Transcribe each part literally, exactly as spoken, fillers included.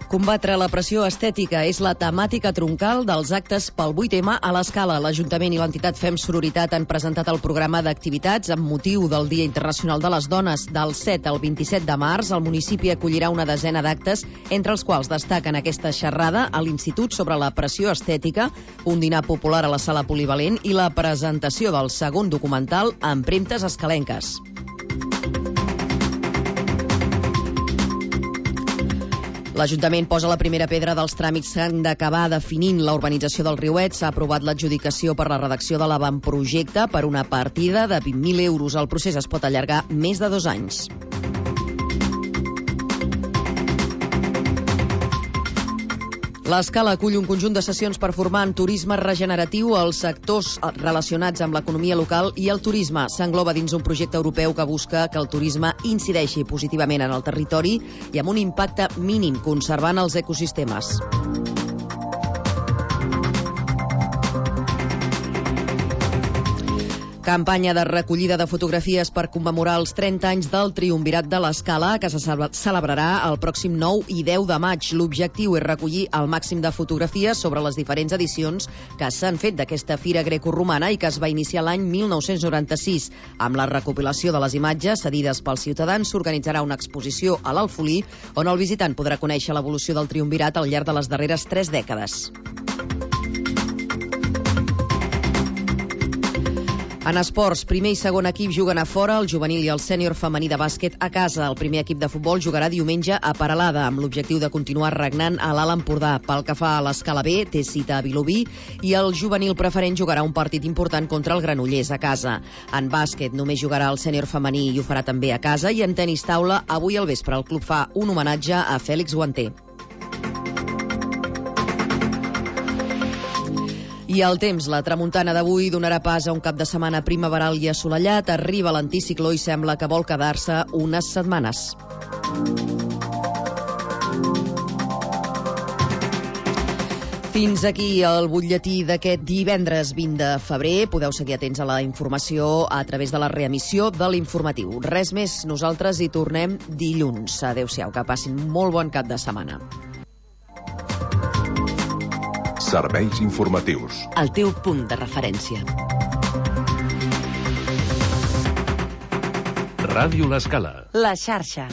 Combatre la pressió estètica és la temàtica troncal dels actes pel vuit eme a l'Escala. L'Ajuntament i l'entitat Fem Sororitat han presentat el programa d'activitats amb motiu del Dia Internacional de les Dones. Del set al vint-i-set de març, el municipi acollirà una desena d'actes, entre els quals destaquen aquesta xerrada a l'Institut sobre la pressió estètica, un dinar popular a la sala polivalent i la presentació del segon documental Empremtes escalenques. L'Ajuntament posa la primera pedra dels tràmits que han d'acabar definint la urbanització del Riuet. S'ha aprovat l'adjudicació per la redacció de l'avantprojecte per una partida de vint mil euros. El procés es pot allargar més de dos anys. L'Escala acull un conjunt de sessions per formar en turisme regeneratiu els sectors relacionats amb l'economia local i el turisme. S'engloba dins un projecte europeu que busca que el turisme incideixi positivament en el territori i amb un impacte mínim, conservant els ecosistemes. Campanya de recollida de fotografies per commemorar els trenta anys del Triumvirat de l'Escala, que se celebrarà el pròxim nou i deu de maig. L'objectiu és recollir el màxim de fotografies sobre les diferents edicions que s'han fet d'aquesta fira grecoromana i que es va iniciar l'any mil nou-cents noranta-sis. Amb la recopilació de les imatges cedides pels ciutadans s'organitzarà una exposició a l'Alfolí on el visitant podrà conèixer l'evolució del Triumvirat al llarg de les darreres tres dècades. En esports, primer i segon equip juguen a fora, el juvenil i el sènior femení de bàsquet a casa. El primer equip de futbol jugarà diumenge a Peralada, amb l'objectiu de continuar regnant a l'Alt Empordà. Pel que fa a l'Escala B, té cita a Vilobí, i el juvenil preferent jugarà un partit important contra el Granollers a casa. En bàsquet només jugarà el sènior femení i ho farà també a casa, i en tenis taula, avui al vespre el club fa un homenatge a Fèlix Guanter. I el temps, la tramuntana d'avui donarà pas a un cap de setmana primaveral i assolellat. Arriba l'anticicló i sembla que vol quedar-se unes setmanes. Fins aquí el butlletí d'aquest divendres vint de febrer. Podeu seguir atents a la informació a través de la reemissió de l'informatiu. Res més, nosaltres hi tornem dilluns. Adéu-siau, que passin molt bon cap de setmana. Serveis informatius. El teu punt de referència. Ràdio L'Escala. La xarxa.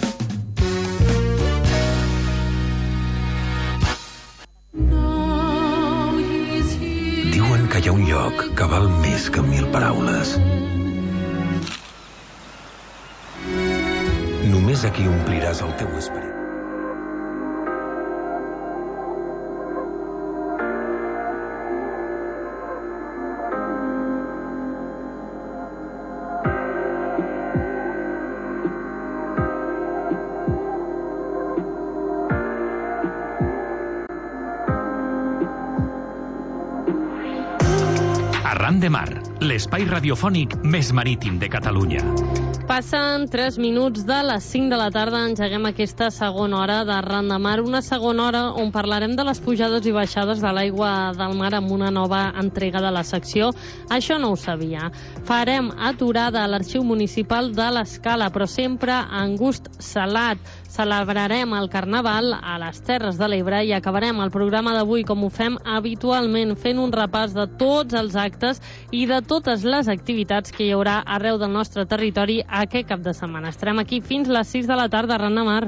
Diuen que hi ha un lloc que val més que mil paraules. Només aquí ompliràs el teu esperit. Arran de Mar, l'espai radiofònic més marítim de Catalunya. Passen tres minuts de les cinc de la tarda, engeguem aquesta segona hora d'Arran de Mar, una segona hora on parlarem de les pujades i baixades de l'aigua del mar amb una nova entrega de la secció Això no ho sabia. Farem aturada a l'Arxiu Municipal de l'Escala, però sempre en gust salat. Celebrarem el Carnaval a les Terres de l'Ebre i acabarem el programa d'avui com ho fem habitualment, fent un repàs de tots els actes i de totes les activitats que hi haurà arreu del nostre territori aquest cap de setmana. Estarem aquí fins les sis de la tarda, Arran de Mar.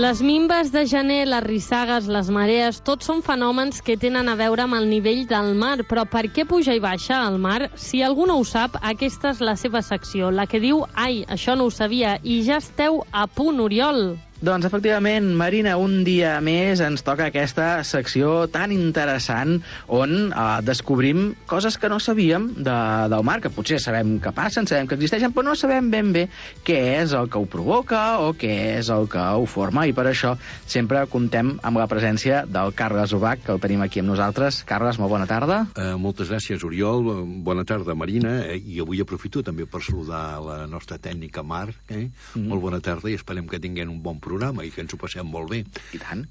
Les minves de gener, les rissagues, les marees, tots són fenòmens que tenen a veure amb el nivell del mar. Però per què puja i baixa el mar? Si algú no ho sap, aquesta és la seva secció, la que diu «Ai, això no ho sabia», i ja esteu a punt, Oriol. Doncs, efectivament, Marina, un dia més ens toca aquesta secció tan interessant on eh, descobrim coses que no sabíem de, del mar, que potser sabem que passen, sabem que existeixen, però no sabem ben bé què és el que ho provoca o què és el que ho forma, i per això sempre comptem amb la presència del Carles Ubach, que el tenim aquí amb nosaltres. Carles, molt bona tarda. Uh, moltes gràcies, Oriol. Bona tarda, Marina. Eh, I avui aprofito també per saludar la nostra tècnica Mar. Eh? Mm. Molt bona tarda i esperem que tinguem un bon programa i que ens ho passem molt bé. I tant.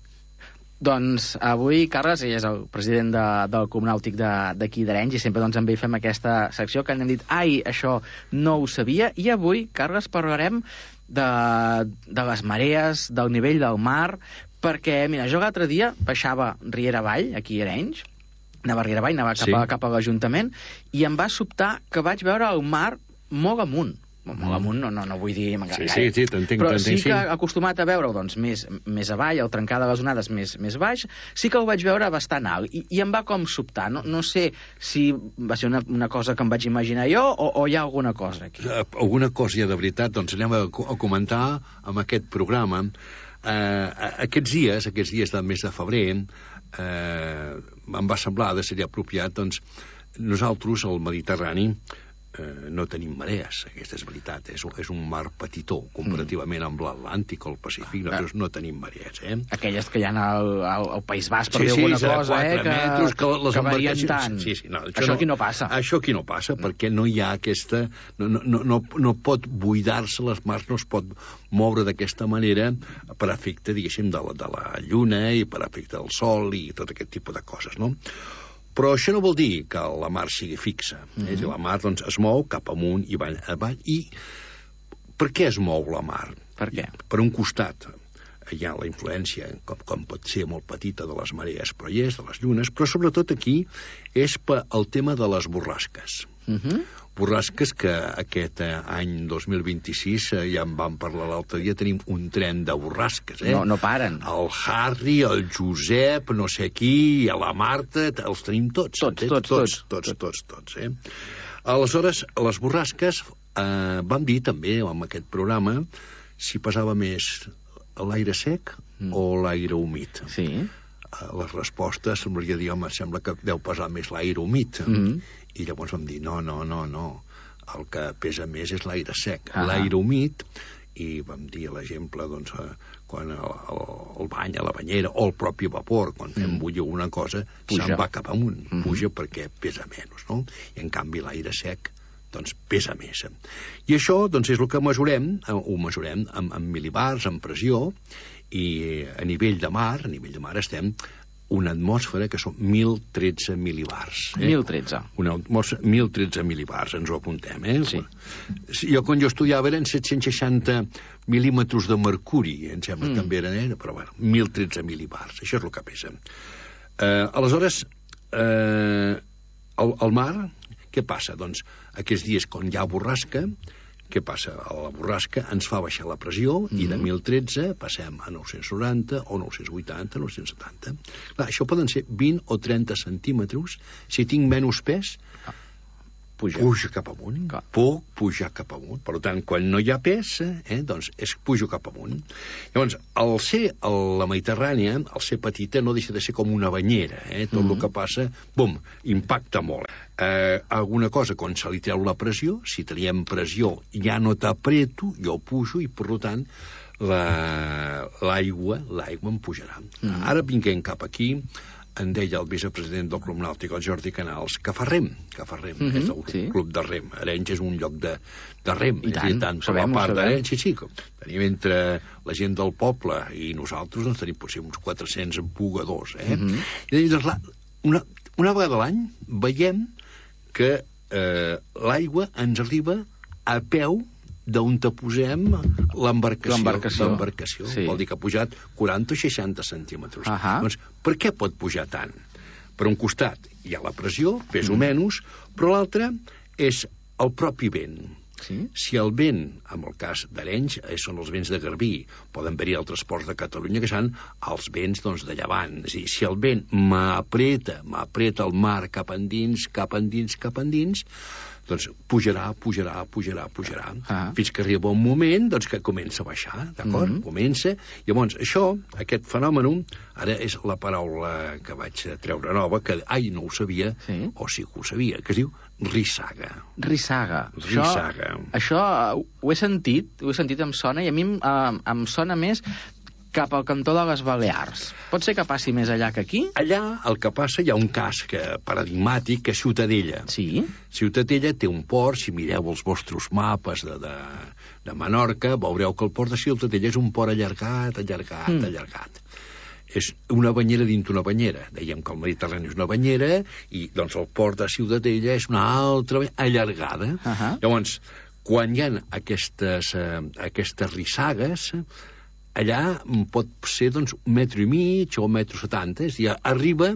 Doncs avui, Carles, ell és el president de, del Club Nàutic d'aquí d'Arenys, i sempre doncs, amb ell fem aquesta secció que hem dit, ai, això no ho sabia, i avui, Carles, parlarem de, de les marees, del nivell del mar, perquè, mira, jo l'altre dia baixava Riera Avall, aquí a Arenys, anava a Riera Avall, anava cap, sí. a, cap a l'Ajuntament, i em va sobtar que vaig veure el mar molt amunt. Molt amunt, no, no, no vull dir... Sí, sí, sí, t'entenc. Però sí que acostumat a veure-ho doncs, més, més avall, el trencar de les onades més, més baix, sí que ho vaig veure bastant alt, i, i em va com sobtar. No, no sé si va ser una, una cosa que em vaig imaginar jo o, o hi ha alguna cosa aquí. Alguna cosa hi ha de veritat, doncs anem a, a comentar amb aquest programa. Eh, aquests dies, aquests dies del mes de febrer, eh, em va semblar de ser apropiat, doncs, nosaltres, al Mediterrani, Eh, no tenim marees, aquesta és veritat, és, és un mar petitó, comparativament amb l'Atlàntic o el Pacífic, nosaltres no tenim marees, eh? Aquelles que hi ha al, al, al País Basc, per sí, dir sí, alguna cosa, eh? Que, metres, que, les que varien tant. Sí, sí, no, això, això aquí no passa. Això aquí no passa, no. Perquè no hi ha aquesta... No, no, no, no pot buidar-se, les mars no es pot moure d'aquesta manera per efecte, diguéssim, de la, de la lluna i per efecte del sol i tot aquest tipus de coses, no? Però això no vol dir que la mar sigui fixa. Mm-hmm. És a dir, la mar doncs, es mou cap amunt i avall, avall. I per què es mou la mar? Per què? Per un costat hi ha la influència, com, com pot ser molt petita, de les marees, però hi és, de les llunes, però sobretot aquí és per el tema de les borrasques. Mm-hmm. Borrasques que aquest eh, any dos mil vint-i-sis, eh, ja en vam parlar l'altre dia, tenim un tren de borrasques, eh? No, no paren. El Harry, el Josep, no sé qui, la Marta, els tenim tots. Tots, eh? tots, tots, tots, tots, tots, eh? Aleshores, les borrasques, eh, vam dir també, amb aquest programa, si pesava més l'aire sec mm. o l'aire humit. Sí. Les respostes semblaria dir, home, sembla que deu pesar més l'aire humit. Mm-hmm. I llavors vam dir, no, no, no, no, el que pesa més és l'aire sec. Ah. L'aire humit, i vam dir l'exemple, doncs, quan el, el, el bany a la banyera, o el propi vapor, quan fem mm. bullir una cosa, puja. Se'n va cap amunt, mm-hmm. puja perquè pesa menys, no? I en canvi l'aire sec, doncs, pesa més. I això, doncs, és el que mesurem, ho mesurem amb, amb milibars, amb pressió, i a nivell de mar, a nivell de mar estem una atmosfera que són mil tretze milibars. Eh? mil tretze. Una atmosfera, mil tretze milibars, ens ho apuntem, eh? Sí. Jo, quan jo estudiava, eren set-cents seixanta mil·límetres de mercuri, em sembla mm. que també eren, eh? Però bueno, mil tretze milibars, això és el que pesa. Eh, aleshores, eh, el, el mar, què passa? Doncs, aquests dies, quan hi ha borrasca, què passa? La borrasca ens fa baixar la pressió mm-hmm. i de mil tretze passem a nou-cents noranta o nou-cents vuitanta, nou-cents setanta. Clar, això poden ser vint o trenta centímetres. Si tinc menys pes, puja, puja cap amunt. Clar. Puc pujar cap amunt. Per tant, quan no hi ha pes, eh, doncs es pujo cap amunt. Llavors, al ser a la Mediterrània, al ser petita, no deixa de ser com una banyera. Eh? Tot mm-hmm. el que passa, bum, impacta molt. Eh, alguna cosa, quan se li treu la pressió, si teníem pressió, ja no t'apreto, jo pujo i, per tant, l'aigua, la, l'aigua em pujarà. Mm. Ara vinguem cap aquí, en deia el vicepresident del Club Nàutic, el Jordi Canals, que fa rem, que fa rem, mm-hmm, és el sí. club de rem. Arenys és un lloc de, de rem. I tant, tant sabem, per la part d'Arenys, sí, sí, tenim entre la gent del poble i nosaltres, doncs tenim potser uns quatre-cents bugadors, eh? Mm-hmm. I doncs, la, una, una vegada a l'any veiem que eh, l'aigua ens arriba a peu d'on te posem l'embarcació. L'embarcació. L'embarcació. Sí. Vol dir que ha pujat quaranta o seixanta centímetres. Uh-huh. Doncs, per què pot pujar tant? Per un costat hi ha la pressió, pes o mm. menys, però l'altre és el propi vent. Sí? Si el vent, en el cas d'Arenys, eh, són els vents de Garbí, poden haver-hi altres ports de Catalunya que són els vents doncs, de llevant. És a dir, si el vent m'apreta, m'apreta el mar cap endins, cap endins, cap endins, doncs pujarà, pujarà, pujarà, pujarà, ah. fins que arriba un moment doncs, que comença a baixar, d'acord? Mm-hmm. Comença. Llavors, això, aquest fenomen, ara és la paraula que vaig treure nova, que, ai, no ho sabia, sí. o sí que ho sabia, que es diu rissaga. Rissaga. Rissaga. Això, això ho he sentit, ho he sentit, em sona, i a mi em, em sona més cap al cantó de les Balears. Pot ser que passi més allà que aquí? Allà el que passa, hi ha un cas que, paradigmàtic, que és Ciutadella. Sí. Ciutadella té un port, si mireu els vostres mapes de, de, de Menorca, veureu que el port de Ciutadella és un port allargat, allargat, mm. allargat. és una banyera dins una banyera. Dèiem que el Mediterrani és una banyera i doncs el port de Ciutadella és una altra allargada. Uh -huh. Llavors, quan hi ha aquestes, eh, aquestes rissagues, allà pot ser doncs, un metro i mig o un metro setanta, és a dir, arriba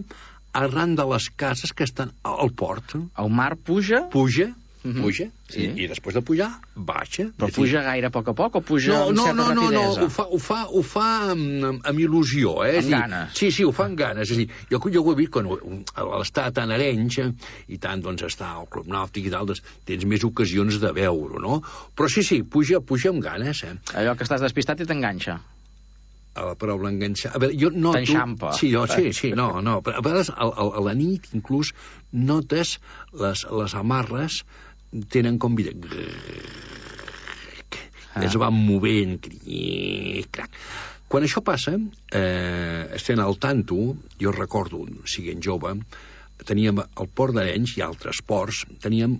arran de les cases que estan al port. El mar puja? Puja, Uh -huh. puja, sí. i, i després de pujar, baixa. Però puja gaire a poc a poc o puja no, amb no, certa no, no, rapidesa? No, ho fa, ho fa, ho fa amb, amb il·lusió, eh? Amb ganes. Sí, sí, ho fa amb ganes. És a dir, jo, jo ho he vist quan l'està tan Arenys i tant, doncs, està al Club Nàutic i tal, doncs, tens més ocasions de veure-ho, no? Però sí, sí, puja, puja amb ganes, eh? Allò que estàs despistat i t'enganxa. A la paraula enganxar... A veure, jo noto... T'enxampa. Sí, jo, sí, sí, no, no. Però a vegades, a, a, a la nit, inclús, notes les, les amarres tenen com vida... Ah. Es van movent... Quan això passa, eh, estem al tanto, jo recordo, siguent jove, teníem al port d'Arenys i altres ports, teníem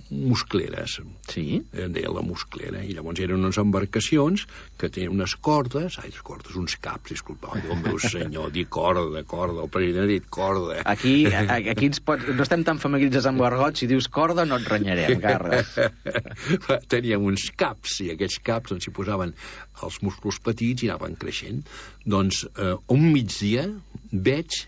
muscleres. Sí? En deia la musclera. I llavors eren unes embarcacions que tenien unes cordes, ai, les cordes, uns caps, disculpa, oi, Déu meu senyor, dir corda, corda, el president ha dit corda. Aquí, aquí ens pot... no estem tan familiaritzats amb l'argot, si dius corda no et renyarem, Carles. Teníem uns caps, i aquests caps doncs, s'hi posaven els músculs petits i anaven creixent. Doncs eh, un migdia veig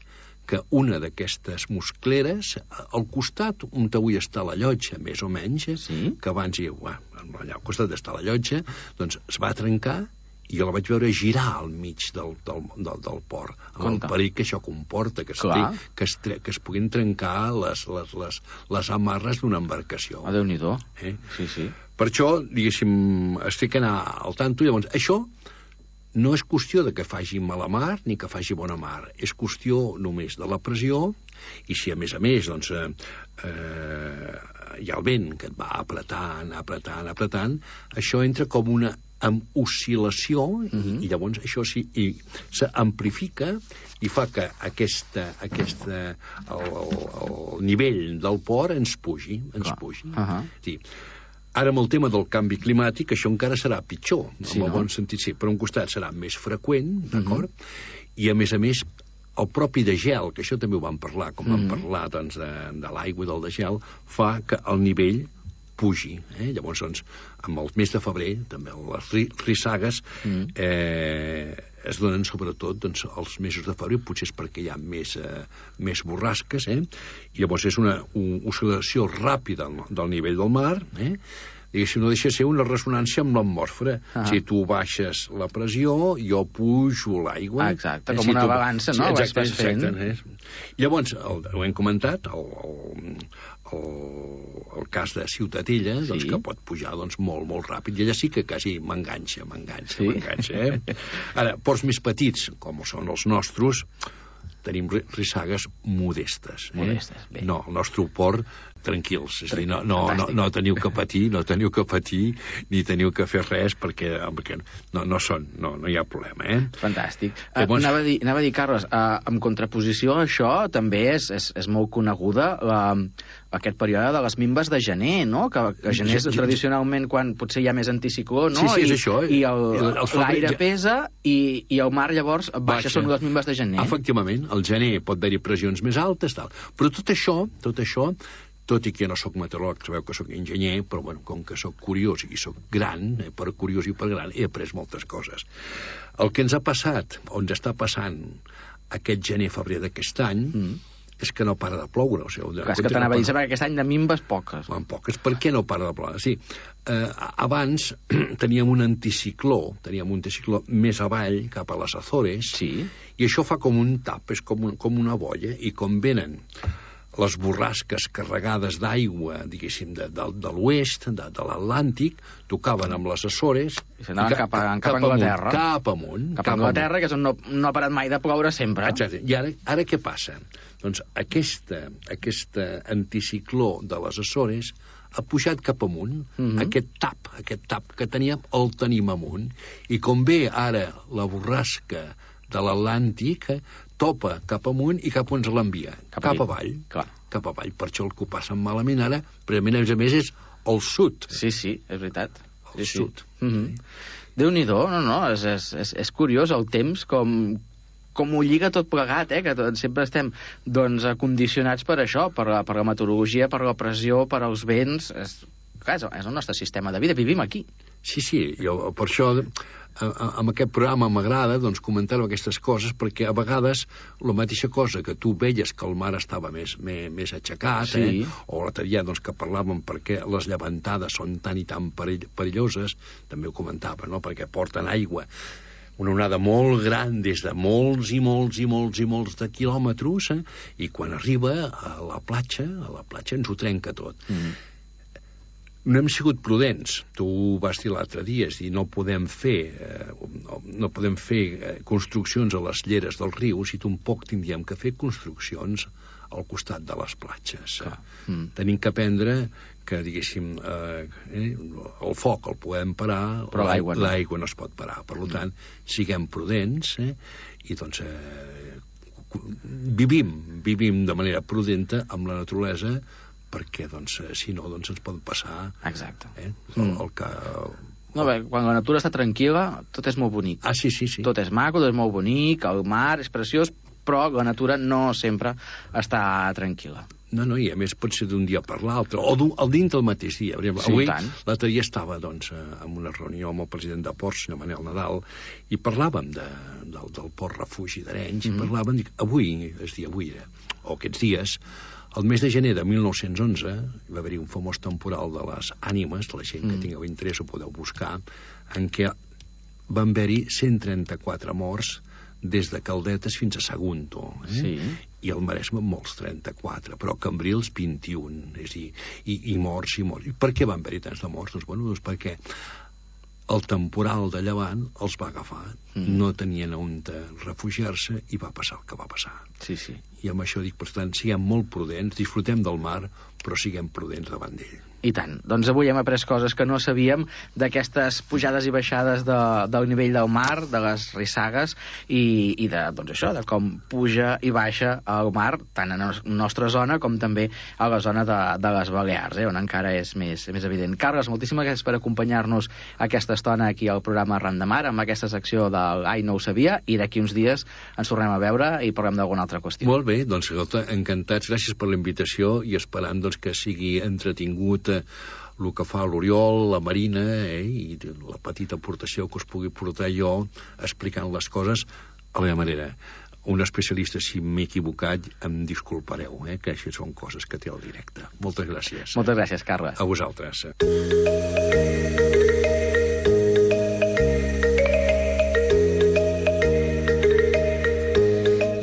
que una d'aquestes muscleres, al costat on avui està la llotja, més o menys, sí? que abans hi bueno, allà al costat està la llotja, doncs es va trencar i jo la vaig veure girar al mig del, del, del, del port, amb Conta. El perill que això comporta, que, que, es, que es puguin trencar les, les, les, les amarres d'una embarcació. Ah, Déu-n'hi-do. Eh? Sí, sí. Per això, diguéssim, estic anar al tanto, llavors, això no és qüestió de que faci mala mar ni que faci bona mar, és qüestió només de la pressió, i si a més a més doncs, eh, eh, hi ha el vent que et va apretant, apretant, apretant, això entra com una amb oscil·lació, uh -huh. i, i llavors això sí, s'amplifica i fa que aquesta, aquesta el, el, el nivell del port ens pugi, ens Clar. pugi. Uh -huh. Sí. Ara, amb el tema del canvi climàtic, això encara serà pitjor, sí, en el no? bon sentit, sí. Per un costat serà més freqüent, d'acord? Uh -huh. I, a més a més, el propi de gel, que això també ho vam parlar, com uh -huh. vam parlar doncs, de, de l'aigua i del de gel, fa que el nivell pugi. Eh? Llavors, doncs, amb el mes de febrer, també les rissagues mm. eh, es donen sobretot doncs, els mesos de febrer, potser és perquè hi ha més, eh, més borrasques, eh? I llavors és una, una oscil·lació ràpida del nivell del mar, eh? Diguéssim, no deixa de ser una ressonància amb l'atmosfera. Ah. Si tu baixes la pressió, jo pujo l'aigua. Ah, exacte, com si una tu... balança, no? Sí, exacte, exacte. Eh? Llavors, el, ho hem comentat, el, el, el, el cas de Ciutadella, sí. doncs, que pot pujar doncs, molt, molt ràpid, i allà sí que quasi m'enganxa, m'enganxa, sí? m'enganxa. Eh? Ara, ports més petits, com són els nostres, tenim rissagues modestes. Eh? Modestes, bé. No, el nostre port, tranquils. És a dir, no, no, no, no teniu que patir, no teniu que patir, ni teniu que fer res, perquè, perquè no, no són, no, no hi ha problema, eh? Fantàstic. Llavors... Uh, anava, a dir, anava a dir, Carles, uh, en contraposició a això, també és, és, és molt coneguda uh, aquest període de les minves de gener, no? Que, que gener és tradicionalment quan potser hi ha més anticicló, no? Sí, sí, és I, això. I l'aire pesa i, i el mar llavors baixa, baixa. Són les minves de gener. Efectivament, al gener pot haver-hi pressions més altes, tal. Però tot això, tot això, tot i que jo no sóc meteoròleg, sabeu que sóc enginyer, però bueno, com que sóc curiós i sóc gran, eh, per curiós i per gran, he après moltes coses. El que ens ha passat, o ens està passant aquest gener-febrer d'aquest any, mm. és que no para de ploure. O sigui, Clar, és que t'anava no a dir, que aquest any de minves poques. En poques. Per què no para de ploure? Sí, eh, abans teníem un anticicló, teníem un anticicló més avall, cap a les Azores, sí. i això fa com un tap, és com, un, com una bolla, i com venen les borrasques carregades d'aigua, diguéssim, de, de, de l'oest, de, de l'Atlàntic, tocaven amb les Açores... I s'anaven cap, a, cap, cap a Anglaterra. Cap amunt. Cap a Anglaterra, que és on no, no ha parat mai de ploure sempre. Exacte. I ara, ara què passa? Doncs aquesta, aquesta anticicló de les Açores ha pujat cap amunt. Mm-hmm. Aquest tap, aquest tap que teníem, el tenim amunt. I com ve ara la borrasca de l'Atlàntic, topa cap amunt i cap on se l'envia. Cap, cap avall. Clar. Cap avall. Per això el que ho passen malament ara, però a més a més és el sud. Sí, sí, és veritat. El sí, sud. Sí. Mm-hmm. Déu-n'hi-do, no, no, és, és, és, és curiós el temps com, com ho lliga tot plegat, eh? Que tot, sempre estem doncs, condicionats per això, per la, per la meteorologia, per la pressió, per als vents. És, clar, és el nostre sistema de vida, vivim aquí. Sí, sí, jo per això amb aquest programa m'agrada doncs, comentar aquestes coses, perquè a vegades la mateixa cosa que tu veies que el mar estava més, més, més aixecat, sí. eh? O l'altre dia doncs, que parlàvem perquè les llevantades són tan i tan perill perilloses, també ho comentava, no? Perquè porten aigua, una onada molt gran des de molts i molts i molts i molts de quilòmetres, eh? I quan arriba a la platja, a la platja ens ho trenca tot. Mm. No hem sigut prudents. Tu vas dir l'altre dia, és dir, no podem fer eh, no podem fer eh, construccions a les lleres dels rius i tampoc tindríem que fer construccions al costat de les platges. Eh? Mm. Tenim que aprendre que, diguéssim, eh, eh, el foc el podem parar, però l'aigua no. L'aigua no es pot parar. Per tant, siguem prudents, eh? I doncs eh, vivim, vivim de manera prudenta amb la naturalesa, perquè, doncs, si no, doncs ens pot passar... Exacte. Eh? El, el que... No, bé, quan la natura està tranquil·la, tot és molt bonic. Ah, sí, sí, sí. Tot és maco, tot és molt bonic, el mar és preciós, però la natura no sempre està tranquil·la. No, no, i a més pot ser d'un dia per l'altre, o al dins del mateix dia. Sí, avui, l'altre dia estava, doncs, en una reunió amb el president de Ports, senyor Manel Nadal, i parlàvem de, del, del port refugi d'Arenys, mm-hmm. i parlàvem, dic, avui, és dir, avui era, o aquests dies, el mes de gener de mil nou-cents onze hi va haver-hi un famós temporal de les ànimes, de la gent mm. que tingueu interès ho podeu buscar, en què van haver-hi cent trenta-quatre morts des de Caldetes fins a Sagunto, eh? Sí. I al Maresme molts trenta-quatre, però a Cambrils vint-i-un, és a dir, i, i morts i morts. I per què van haver-hi tants de morts? Doncs, bueno, doncs perquè el temporal de llevant els va agafar, mm. no tenien on refugiar-se i va passar el que va passar. Sí, sí. I amb això dic, per tant, siguem molt prudents, disfrutem del mar, però siguem prudents davant d'ell. I tant. Doncs avui hem après coses que no sabíem d'aquestes pujades i baixades de, del nivell del mar, de les rissagues, i, i de, doncs això, de com puja i baixa el mar, tant a la nostra zona com també a la zona de, de les Balears, eh, on encara és més, més evident. Carles, moltíssimes gràcies per acompanyar-nos aquesta estona aquí al programa Ran de Mar, amb aquesta secció del Ai, no ho sabia, i d'aquí uns dies ens tornem a veure i parlem d'alguna altra qüestió. Molt bé, doncs, encantats, gràcies per la invitació i esperant doncs, que sigui entretingut el que fa l'Oriol, la Marina, eh, i la petita aportació que us pugui portar jo explicant les coses a la meva manera. Un especialista, si m'he equivocat, em disculpareu, eh, que això són coses que té el directe. Moltes gràcies. Moltes gràcies, Carles. A vosaltres.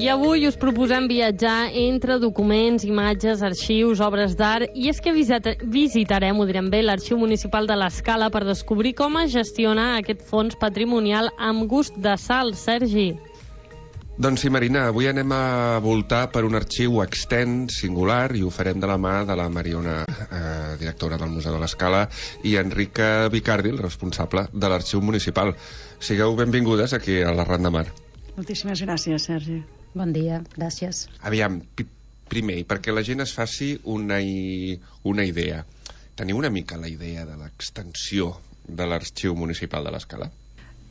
I avui us proposem viatjar entre documents, imatges, arxius, obres d'art, i és que visitarem, ho direm bé, l'Arxiu Municipal de l'Escala per descobrir com es gestiona aquest fons patrimonial amb gust de sal. Sergi. Doncs sí, Marina, avui anem a voltar per un arxiu extens, singular, i ho farem de la mà de la Mariona, eh, directora del Museu de l'Escala, i Enrica Vicardi, el responsable de l'Arxiu Municipal. Sigueu benvingudes aquí a la Ran de Mar. Moltíssimes gràcies, Sergi. Bon dia, gràcies. Aviam, primer, perquè la gent es faci una, una idea. Teniu una mica la idea de l'extensió de l'Arxiu Municipal de l'Escala?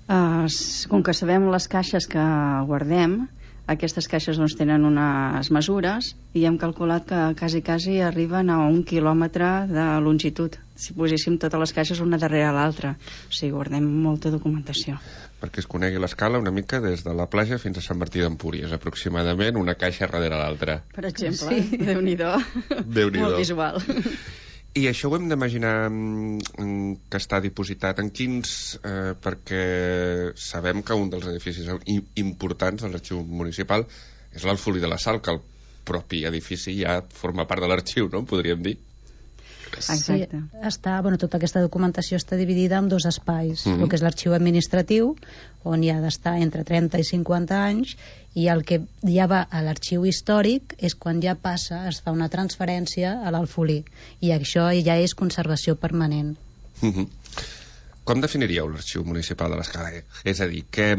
Uh, com que sabem les caixes que guardem, aquestes caixes doncs, tenen unes mesures i hem calculat que quasi, quasi arriben a un quilòmetre de longitud, si poséssim totes les caixes una darrere l'altra. O sigui, guardem molta documentació. Perquè es conegui l'Escala una mica des de la platja fins a Sant Martí d'Empúries, aproximadament una caixa darrere l'altra. Per exemple, sí. Déu-n'hi-do. Déu-n'hi-do. Molt visual. I això ho hem d'imaginar que està dipositat en quins... Eh, perquè sabem que un dels edificis importants de l'Arxiu Municipal és l'Alfolí de la Sal, que el propi edifici ja forma part de l'arxiu, no? Podríem dir. Exacte. Sí, està, bueno, tota aquesta documentació està dividida en dos espais, mm-hmm. el que és l'arxiu administratiu, on hi ha d'estar entre trenta i cinquanta anys, i el que ja va a l'arxiu històric és quan ja passa, es fa una transferència a l'Alfolí, i això ja és conservació permanent. Mm-hmm. Com definiríeu l'Arxiu Municipal de l'Escala? És a dir, què,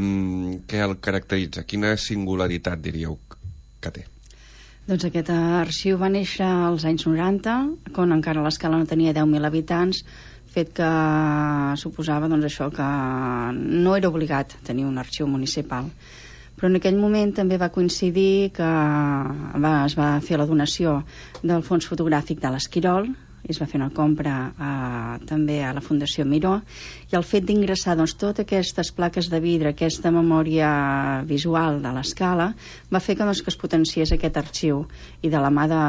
què el caracteritza? Quina singularitat diríeu que té? Doncs aquest arxiu va néixer als anys noranta, quan encara l'Escala no tenia deu mil habitants, fet que suposava doncs, això que no era obligat tenir un arxiu municipal. Però en aquell moment també va coincidir que va, es va fer la donació del fons fotogràfic de l'Esquirol, es va fer una compra eh, també a la Fundació Miró, i el fet d'ingressar doncs, totes aquestes plaques de vidre, aquesta memòria visual de l'escala, va fer que, doncs, que es potenciés aquest arxiu. I de la mà de,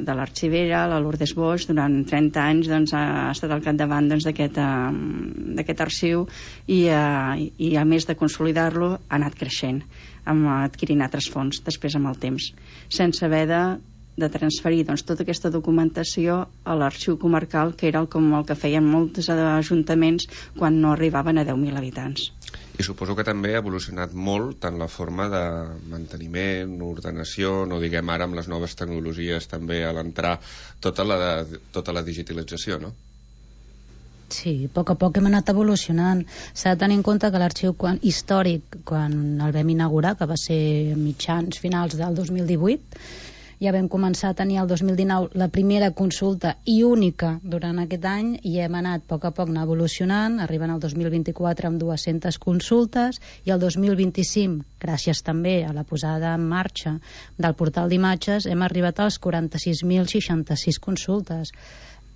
de l'arxivera, la Lourdes Boix, durant trenta anys doncs, ha estat al capdavant doncs, d'aquest uh, arxiu i, uh, i a més de consolidar-lo ha anat creixent, amb, adquirint altres fons després amb el temps, sense haver de de transferir doncs, tota aquesta documentació a l'arxiu comarcal, que era el, com el que feien molts ajuntaments quan no arribaven a deu mil habitants. I suposo que també ha evolucionat molt tant la forma de manteniment, ordenació, no diguem ara amb les noves tecnologies també a l'entrar tota la, tota la digitalització, no? Sí, a poc a poc hem anat evolucionant. S'ha de tenir en compte que l'arxiu quan, històric, quan el vam inaugurar, que va ser mitjans finals del dos mil divuit, ja vam començar a tenir el dos mil dinou la primera consulta i única durant aquest any, i hem anat a poc a poc anar evolucionant, arribant al dos mil vint-i-quatre amb dues-centes consultes, i el dos mil vint-i-cinc, gràcies també a la posada en marxa del portal d'imatges, hem arribat als quaranta-sis mil seixanta-sis consultes.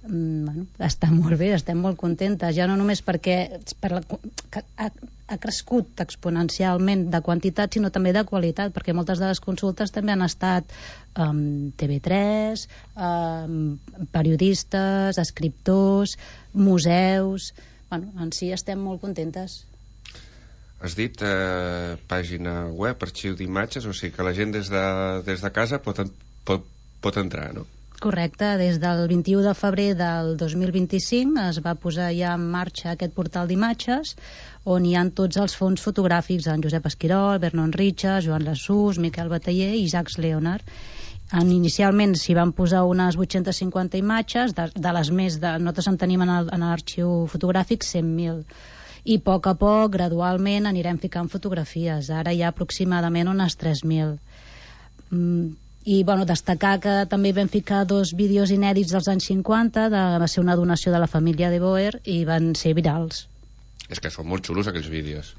Mm, bueno, està molt bé, estem molt contentes, ja no només perquè per la, ha, ha crescut exponencialment de quantitat, sinó també de qualitat, perquè moltes de les consultes també han estat um, T V tres, um, periodistes, escriptors, museus. Bueno, en si estem molt contentes. Has dit eh, pàgina web, arxiu d'imatges, o sigui que la gent des de, des de casa pot, pot, pot entrar, no? Correcte, des del vint-i-u de febrer del dos mil vint-i-cinc es va posar ja en marxa aquest portal d'imatges on hi ha tots els fons fotogràfics, en Josep Esquirol, Vernon Richards, Joan Lasús, Miquel Bataller i Jacques Leonard. En, inicialment s'hi van posar unes vuit-cents cinquanta imatges, de, de les més de... Nosaltres en tenim en l'arxiu fotogràfic cent mil. I a poc a poc, gradualment, anirem ficant fotografies. Ara hi ha aproximadament unes tres mil. Mm, I bueno, destacar que també vam ficar dos vídeos inèdits dels anys cinquanta, de, va ser una donació de la família de Boer i van ser virals. És que són molt xulos aquells vídeos.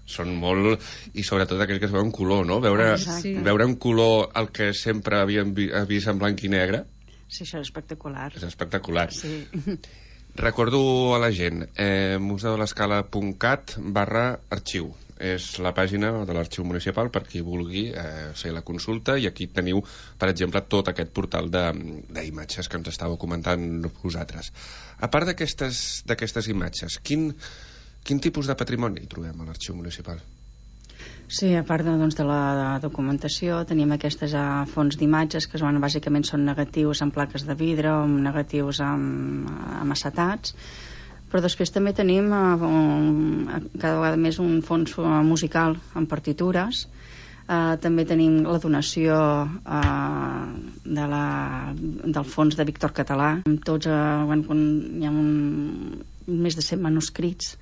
Són molt... I sobretot aquells que es veuen color, no? Veure, sí. veure en color el que sempre havíem vi, vist en blanc i negre. Sí, això és espectacular. És espectacular. Sí. Recordo a la gent, eh, museolescala punt cat barra arxiu. És la pàgina de l'arxiu municipal per qui vulgui eh, fer la consulta, i aquí teniu, per exemple, tot aquest portal d'imatges que ens estàveu comentant vosaltres. A part d'aquestes d'aquestes imatges, quin, quin tipus de patrimoni hi trobem a l'arxiu municipal? Sí, a part de, doncs, de la documentació, tenim aquestes uh, fons d'imatges que són, bàsicament són negatius en plaques de vidre o negatius amb, amb acetats, però després també tenim uh, un, cada vegada més un fons uh, musical amb partitures. Uh, també tenim la donació uh, de la, del fons de Víctor Català, amb tots, uh, quan hi ha un, més de cent manuscrits,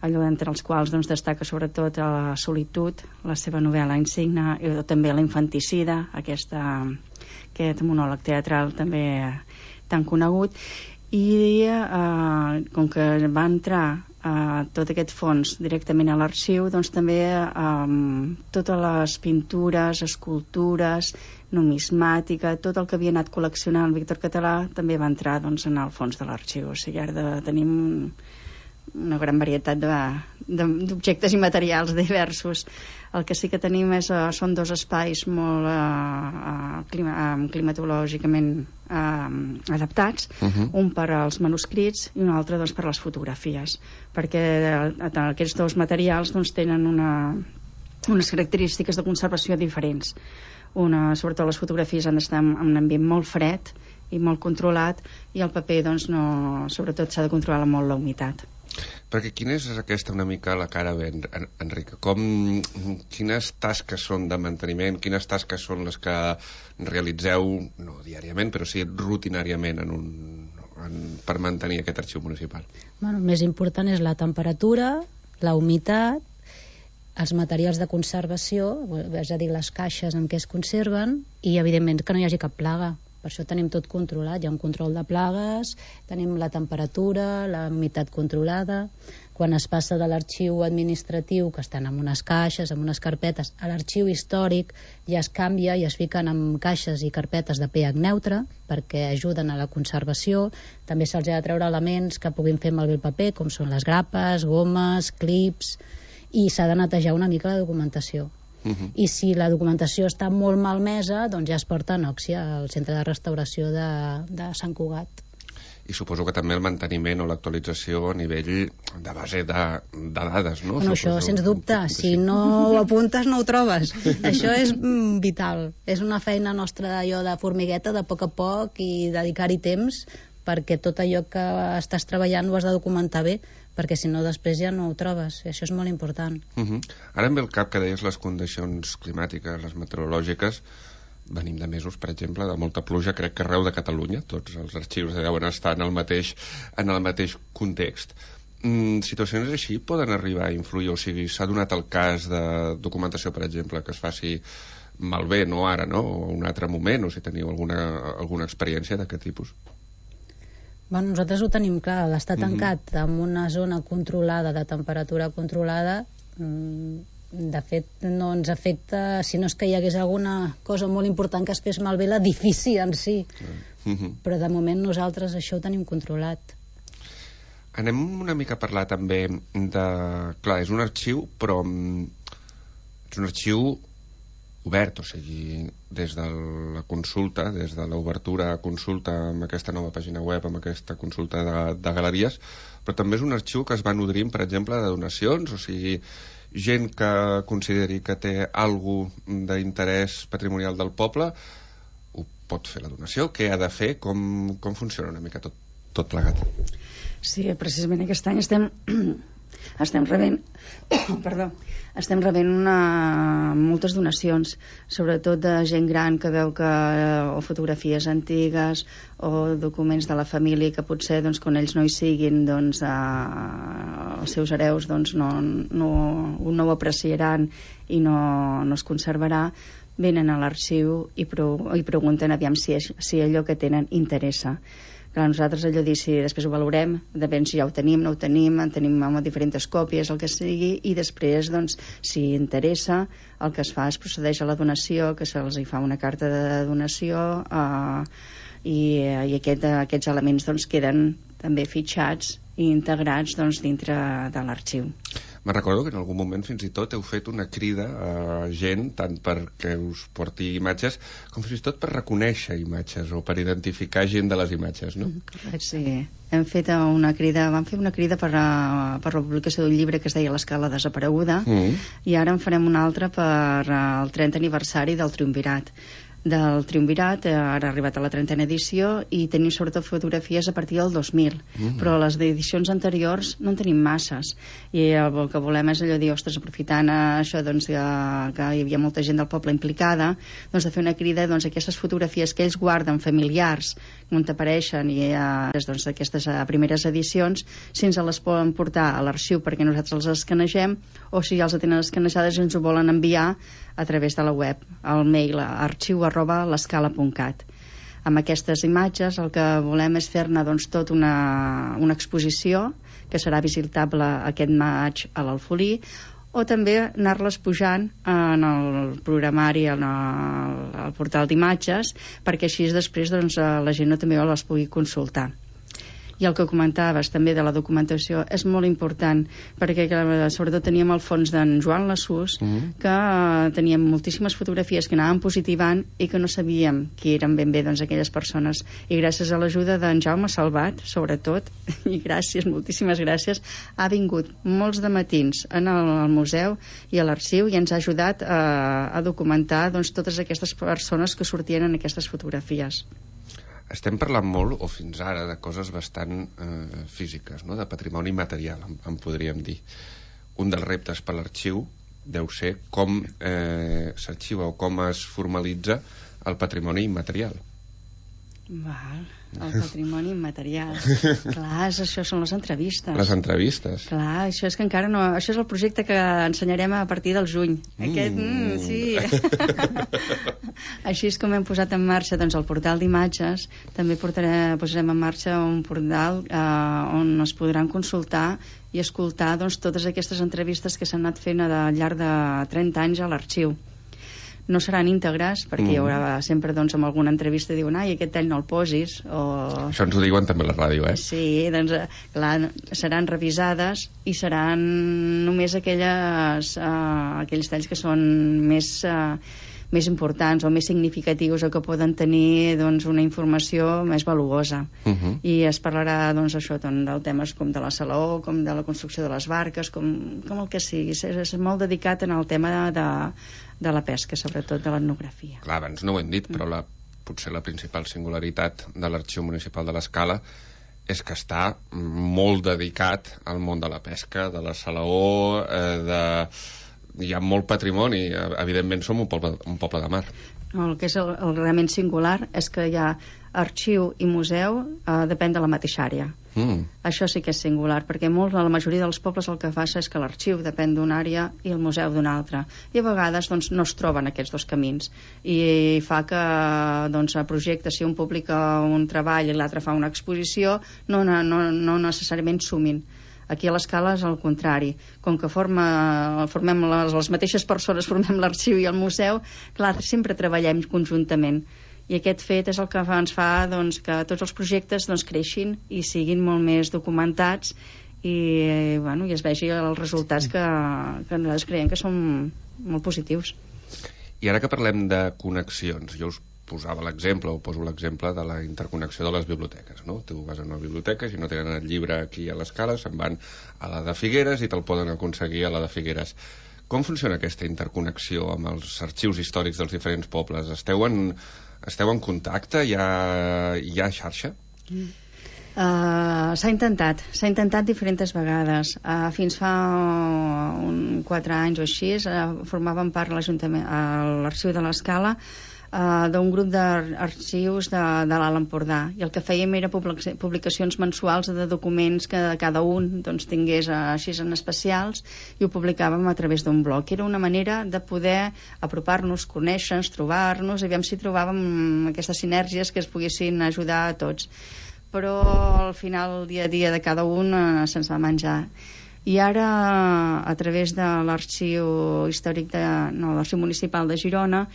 allò entre els quals doncs, destaca sobretot la solitud, la seva novel·la insigna, i també la infanticida, aquesta, aquest monòleg teatral també tan conegut. I eh, com que va entrar eh, tot aquest fons directament a l'arxiu, doncs també eh, totes les pintures, escultures, numismàtica, tot el que havia anat col·leccionant el Víctor Català també va entrar doncs, en el fons de l'arxiu. O sigui, ara tenim una gran varietat d'objectes i materials diversos. El que sí que tenim és, uh, són dos espais molt uh, uh, clima, uh, climatològicament uh, adaptats, uh-huh. un per als manuscrits i un altre doncs, per les fotografies, perquè uh, aquests dos materials doncs, tenen una, unes característiques de conservació diferents. Una, sobretot les fotografies han d'estar en un ambient molt fred i molt controlat, i el paper doncs, no, sobretot s'ha de controlar molt la humitat. Perquè quina és aquesta una mica la cara ben, Enric? Com, quines tasques són de manteniment, quines tasques són les que realitzeu, no diàriament, però sí rutinàriament en un, en, per mantenir aquest arxiu municipal? Bueno, el més important és la temperatura, la humitat, els materials de conservació, és a dir, les caixes en què es conserven, i evidentment que no hi hagi cap plaga. Per això tenim tot controlat, hi ha un control de plagues, tenim la temperatura, la humitat controlada. quan es passa de l'arxiu administratiu, que estan en unes caixes, en unes carpetes, a l'arxiu històric, ja es canvia i es fiquen en caixes i carpetes de pH neutre, perquè ajuden a la conservació. També se'ls ha de treure elements que puguin fer malbé el paper, com són les grapes, gomes, clips, i s'ha de netejar una mica la documentació. Uh-huh. I si la documentació està molt malmesa, doncs ja es porta a Nòxia, al centre de restauració de, de Sant Cugat. I suposo que també el manteniment o l'actualització a nivell de base de, de dades, no? Bueno, suposo, això, sens dubte, si no ho apuntes no ho trobes. Això és mm, vital. És una feina nostra allò de formigueta, de poc a poc, i dedicar-hi temps, perquè tot allò que estàs treballant ho has de documentar bé, perquè si no després ja no ho trobes. I això és molt important. Uh-huh. Ara em ve el cap que deies les condicions climàtiques, les meteorològiques. Venim de mesos, per exemple, de molta pluja, crec que arreu de Catalunya, tots els arxius deuen estar en el mateix, en el mateix context. Mm, situacions així poden arribar a influir, o sigui, s'ha donat el cas de documentació, per exemple, que es faci malbé, no ara, no? O un altre moment, o si teniu alguna, alguna experiència d'aquest tipus. Bueno, nosaltres ho tenim clar, l'estar tancat mm-hmm. en una zona controlada, de temperatura controlada, mmm, de fet no ens afecta, si no és que hi hagués alguna cosa molt important que es fes malbé l'edifici en si, mm-hmm. però de moment nosaltres això ho tenim controlat. Anem una mica a parlar també de... Clar, és un arxiu, però és un arxiu obert, o sigui, des de la consulta, des de l'obertura a consulta amb aquesta nova pàgina web, amb aquesta consulta de, de galeries, però també és un arxiu que es va nodrint, per exemple, de donacions, o sigui, gent que consideri que té algú d'interès patrimonial del poble ho pot fer la donació, què ha de fer, com, com funciona una mica tot, tot plegat. Sí, precisament aquest any estem estem rebent perdó, estem rebent una, moltes donacions, sobretot de gent gran que veu que o fotografies antigues o documents de la família que potser doncs, quan ells no hi siguin doncs, eh, els seus hereus doncs, no, no, no ho apreciaran i no, no es conservarà, venen a l'arxiu i, pro, i pregunten aviam si, és, si allò que tenen interessa. Clar, nosaltres allò dir si després ho valorem, depèn si ja ho tenim, no ho tenim, en tenim amb diferents còpies, el que sigui, i després, doncs, si interessa, el que es fa és procedeix a la donació, que se'ls hi fa una carta de donació, eh, i, i aquest, aquests elements doncs, queden també fitxats i integrats doncs, dintre de l'arxiu. Me'n recordo que en algun moment fins i tot heu fet una crida a gent, tant perquè us porti imatges, com fins i tot per reconèixer imatges o per identificar gent de les imatges, no? Sí, hem fet una crida, vam fer una crida per, a, per la publicació d'un llibre que es deia L'escala desapareguda, mm. i ara en farem una altra per al trentè aniversari del Triumvirat. Del Triumvirat, ara ha arribat a la trentena edició i tenim sobretot fotografies a partir del dos mil, mm. però les edicions anteriors no en tenim masses i el que volem és allò dir, ostres, aprofitant això doncs, que, que hi havia molta gent del poble implicada, doncs de fer una crida doncs, aquestes fotografies que ells guarden familiars on apareixen i eh, doncs, aquestes eh, primeres edicions, si ens les poden portar a l'arxiu perquè nosaltres les escanegem, o si ja els tenen escanejades i ens ho volen enviar a través de la web, al mail arxiu arroba l'escala punt cat. Amb aquestes imatges el que volem és fer-ne doncs, tot una, una exposició que serà visitable aquest maig a l'Alfolí, o també anar-les pujant en el programari, en el, el portal d'imatges, perquè així després doncs, la gent no també les pugui consultar. I el que comentaves també de la documentació és molt important, perquè sobretot teníem el fons d'en Joan Lassús, mm-hmm. que uh, teníem moltíssimes fotografies que anaven positivant i que no sabíem qui eren ben bé doncs, aquelles persones, i gràcies a l'ajuda d'en Jaume Salvat, sobretot, i gràcies, moltíssimes gràcies, ha vingut molts de matins en el, el museu i a l'arxiu i ens ha ajudat uh, a documentar doncs, totes aquestes persones que sortien en aquestes fotografies. Estem parlant molt, o fins ara, de coses bastant eh, físiques, no? De patrimoni material, en, en podríem dir. Un dels reptes per l'arxiu deu ser com eh, s'arxiva o com es formalitza el patrimoni immaterial. Val, el patrimoni immaterial. Clar, és, això són les entrevistes. Les entrevistes. Clar, això és que encara no... Això és el projecte que ensenyarem a partir del juny. Mm. Aquest, mm, sí. Així és com hem posat en marxa doncs, el portal d'imatges. També portaré, posarem en marxa un portal eh, on es podran consultar i escoltar doncs, totes aquestes entrevistes que s'han anat fent al llarg de trenta anys a l'arxiu. No seran íntegres, perquè mm. hi haurà sempre doncs, amb alguna entrevista diuen, ai, aquest tall no el posis, o... Això ens ho diuen també a la ràdio, eh? Sí, doncs, clar, seran revisades i seran només aquelles, uh, aquells talls que són més... Uh, més importants o més significatius o que poden tenir doncs, una informació més valuosa. Uh-huh. I es parlarà doncs, això, doncs, del temes com de la salaó, com de la construcció de les barques, com, com el que sigui. És, és molt dedicat en el tema de, de la pesca, sobretot de l'etnografia. Clar, abans no ho hem dit, però la, potser la principal singularitat de l'Arxiu Municipal de l'Escala és que està molt dedicat al món de la pesca, de la salaó, eh, de... hi ha molt patrimoni, evidentment som un poble, un poble de mar. El que és el, el realment singular és que hi ha arxiu i museu, eh, depèn de la mateixa àrea. Mm. Això sí que és singular, perquè molt, la majoria dels pobles el que passa és que l'arxiu depèn d'una àrea i el museu d'una altra. I a vegades doncs, no es troben aquests dos camins. I fa que doncs, a projectes, si un publica un treball i l'altre fa una exposició, no, no, no, no necessàriament sumin. Aquí a l'Escala és el contrari. Com que forma, formem les, les mateixes persones, formem l'arxiu i el museu, clar, sempre treballem conjuntament. I aquest fet és el que ens fa doncs, que tots els projectes doncs, creixin i siguin molt més documentats i, bueno, i es vegi els resultats que, que nosaltres creiem que són molt positius. I ara que parlem de connexions, jo us posava l'exemple, o poso l'exemple de la interconnexió de les biblioteques, no? Tu vas a una biblioteca, si no tenen el llibre aquí a l'Escala, se'n van a la de Figueres i te'l poden aconseguir a la de Figueres. Com funciona aquesta interconnexió amb els arxius històrics dels diferents pobles? Esteu en, esteu en contacte? Hi ha, hi ha xarxa? Mm. Uh, s'ha intentat, s'ha intentat diferents vegades. Uh, fins fa un, quatre anys o així, uh, formàvem part a l'Ajuntament, a l'Arxiu de l'Escala, Uh, d'un grup d'arxius de, de l'Alt Empordà, i el que fèiem era publicacions mensuals de documents que cada un doncs, tingués uh, així en especials, i ho publicàvem a través d'un blog. Era una manera de poder apropar-nos, conèixer-nos, trobar-nos, i aviam si trobàvem aquestes sinergies que es poguessin ajudar a tots. Però al final, el dia a dia de cada un uh, se'ns va menjar. I ara, a través de l'Arxiu Històric de, no, l'Arxiu Municipal de Girona,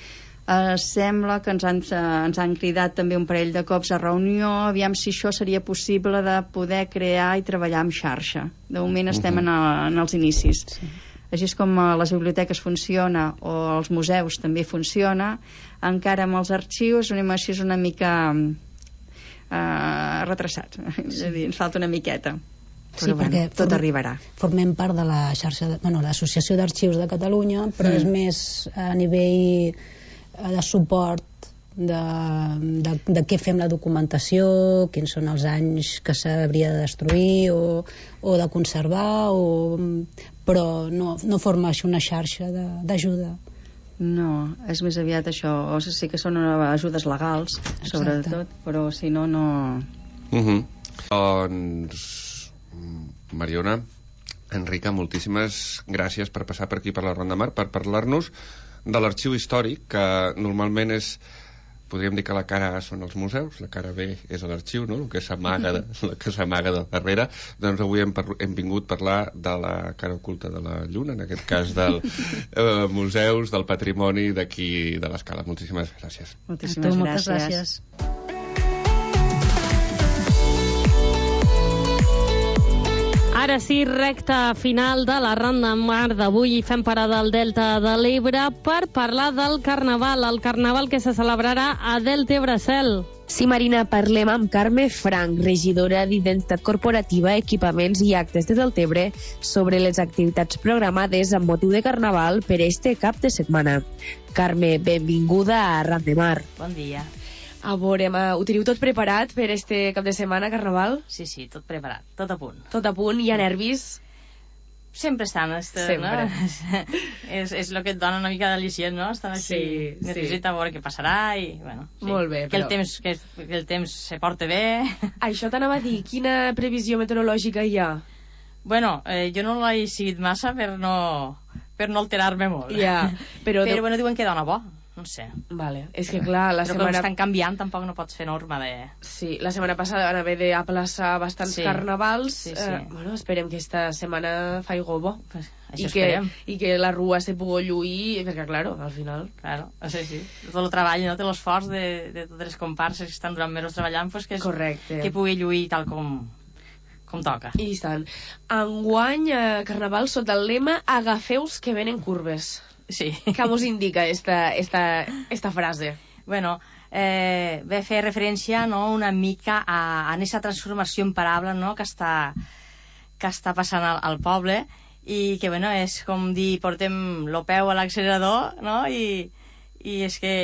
Uh, sembla que ens han, uh, ens han cridat també un parell de cops a reunió, aviam si això seria possible de poder crear i treballar amb xarxa. De moment estem uh-huh. en, a, en els inicis. Sí. Així és com a les biblioteques funciona, o als museus també funciona, encara amb els arxius anem així una mica uh, retrasats. Sí. És a dir, ens falta una miqueta. Però sí, bueno, perquè tot form, arribarà. Formem part de la xarxa, de, bueno, l'Associació d'Arxius de Catalunya, però mm. és més a nivell de suport de, de, de què fem la documentació, quins són els anys que s'hauria de destruir o, o de conservar, o, però no, no forma això una xarxa d'ajuda. No, és més aviat això, o sigui, sí que són ajudes legals, exacte, sobretot, però si no, no... Uh-huh. Doncs, Mariona, Enrica, moltíssimes gràcies per passar per aquí per la Ronda Mar, per parlar-nos de l'arxiu històric, que normalment és, podríem dir que la cara A són els museus, la cara B és l'arxiu, no? El que s'amaga de, el que s'amaga de darrere. Doncs avui hem, hem vingut a parlar de la cara oculta de la Lluna, en aquest cas dels eh, museus, del patrimoni d'aquí de l'Escala. Moltíssimes gràcies. Moltíssimes tu, gràcies. Moltes gràcies. Ara sí, recta final de la Ronda Mar d'avui, i fem parada al Delta de l'Ebre per parlar del Carnaval, el Carnaval que se celebrarà a Delta Ebre-Cel. Sí, Marina, parlem amb Carme Frank, regidora d'Identitat Corporativa, Equipaments i Actes de Deltebre, sobre les activitats programades amb motiu de Carnaval per este cap de setmana. Carme, benvinguda a Ronda Mar. Bon dia. A veure, ho teniu tot preparat per este cap de setmana, Carnaval? Sí, sí, tot preparat, tot a punt. Tot a punt, hi ha nervis? Sempre estan, este, Sempre. no? és, és el que et dona una mica d'al·licient, no? Estan així Sí, nerviosita sí. a veure què passarà i, bueno, sí. Molt bé, que, el però- temps, que, que el temps se porta bé. Això t'anava a dir, quina previsió meteorològica hi ha? Bueno, eh, jo no l'he seguit massa per no, per no alterar-me molt. Ja, però... Però bueno, diuen que dona bo, no sé. Vale, és que clar, la Però setmana... com estan canviant, tampoc no pots fer norma de... Sí, la setmana passada van haver d'aplaçar bastants Sí. carnavals. Sí, sí. Eh, bueno, esperem que esta setmana faigui bo. Pues, I això que, esperem. I que la rua se pugui lluir, perquè, claro, al final... Claro, sí, sí. Tot el treball, no? Té l'esforç de, de totes les comparses que estan durant mesos treballant, pues que, és, Correcte. que pugui lluir tal com, com toca. I tant. Enguany, eh, carnaval sota el lema agafeus que venen curves. Sí. Què mos indica esta, esta, esta frase? Bueno, eh, ve a fer referència, no?, una mica a, a aquesta transformació imparable, no?, que està, que està passant al, al poble i que, bueno, és com dir, portem lo peu a l'accelerador, no?, i, i és que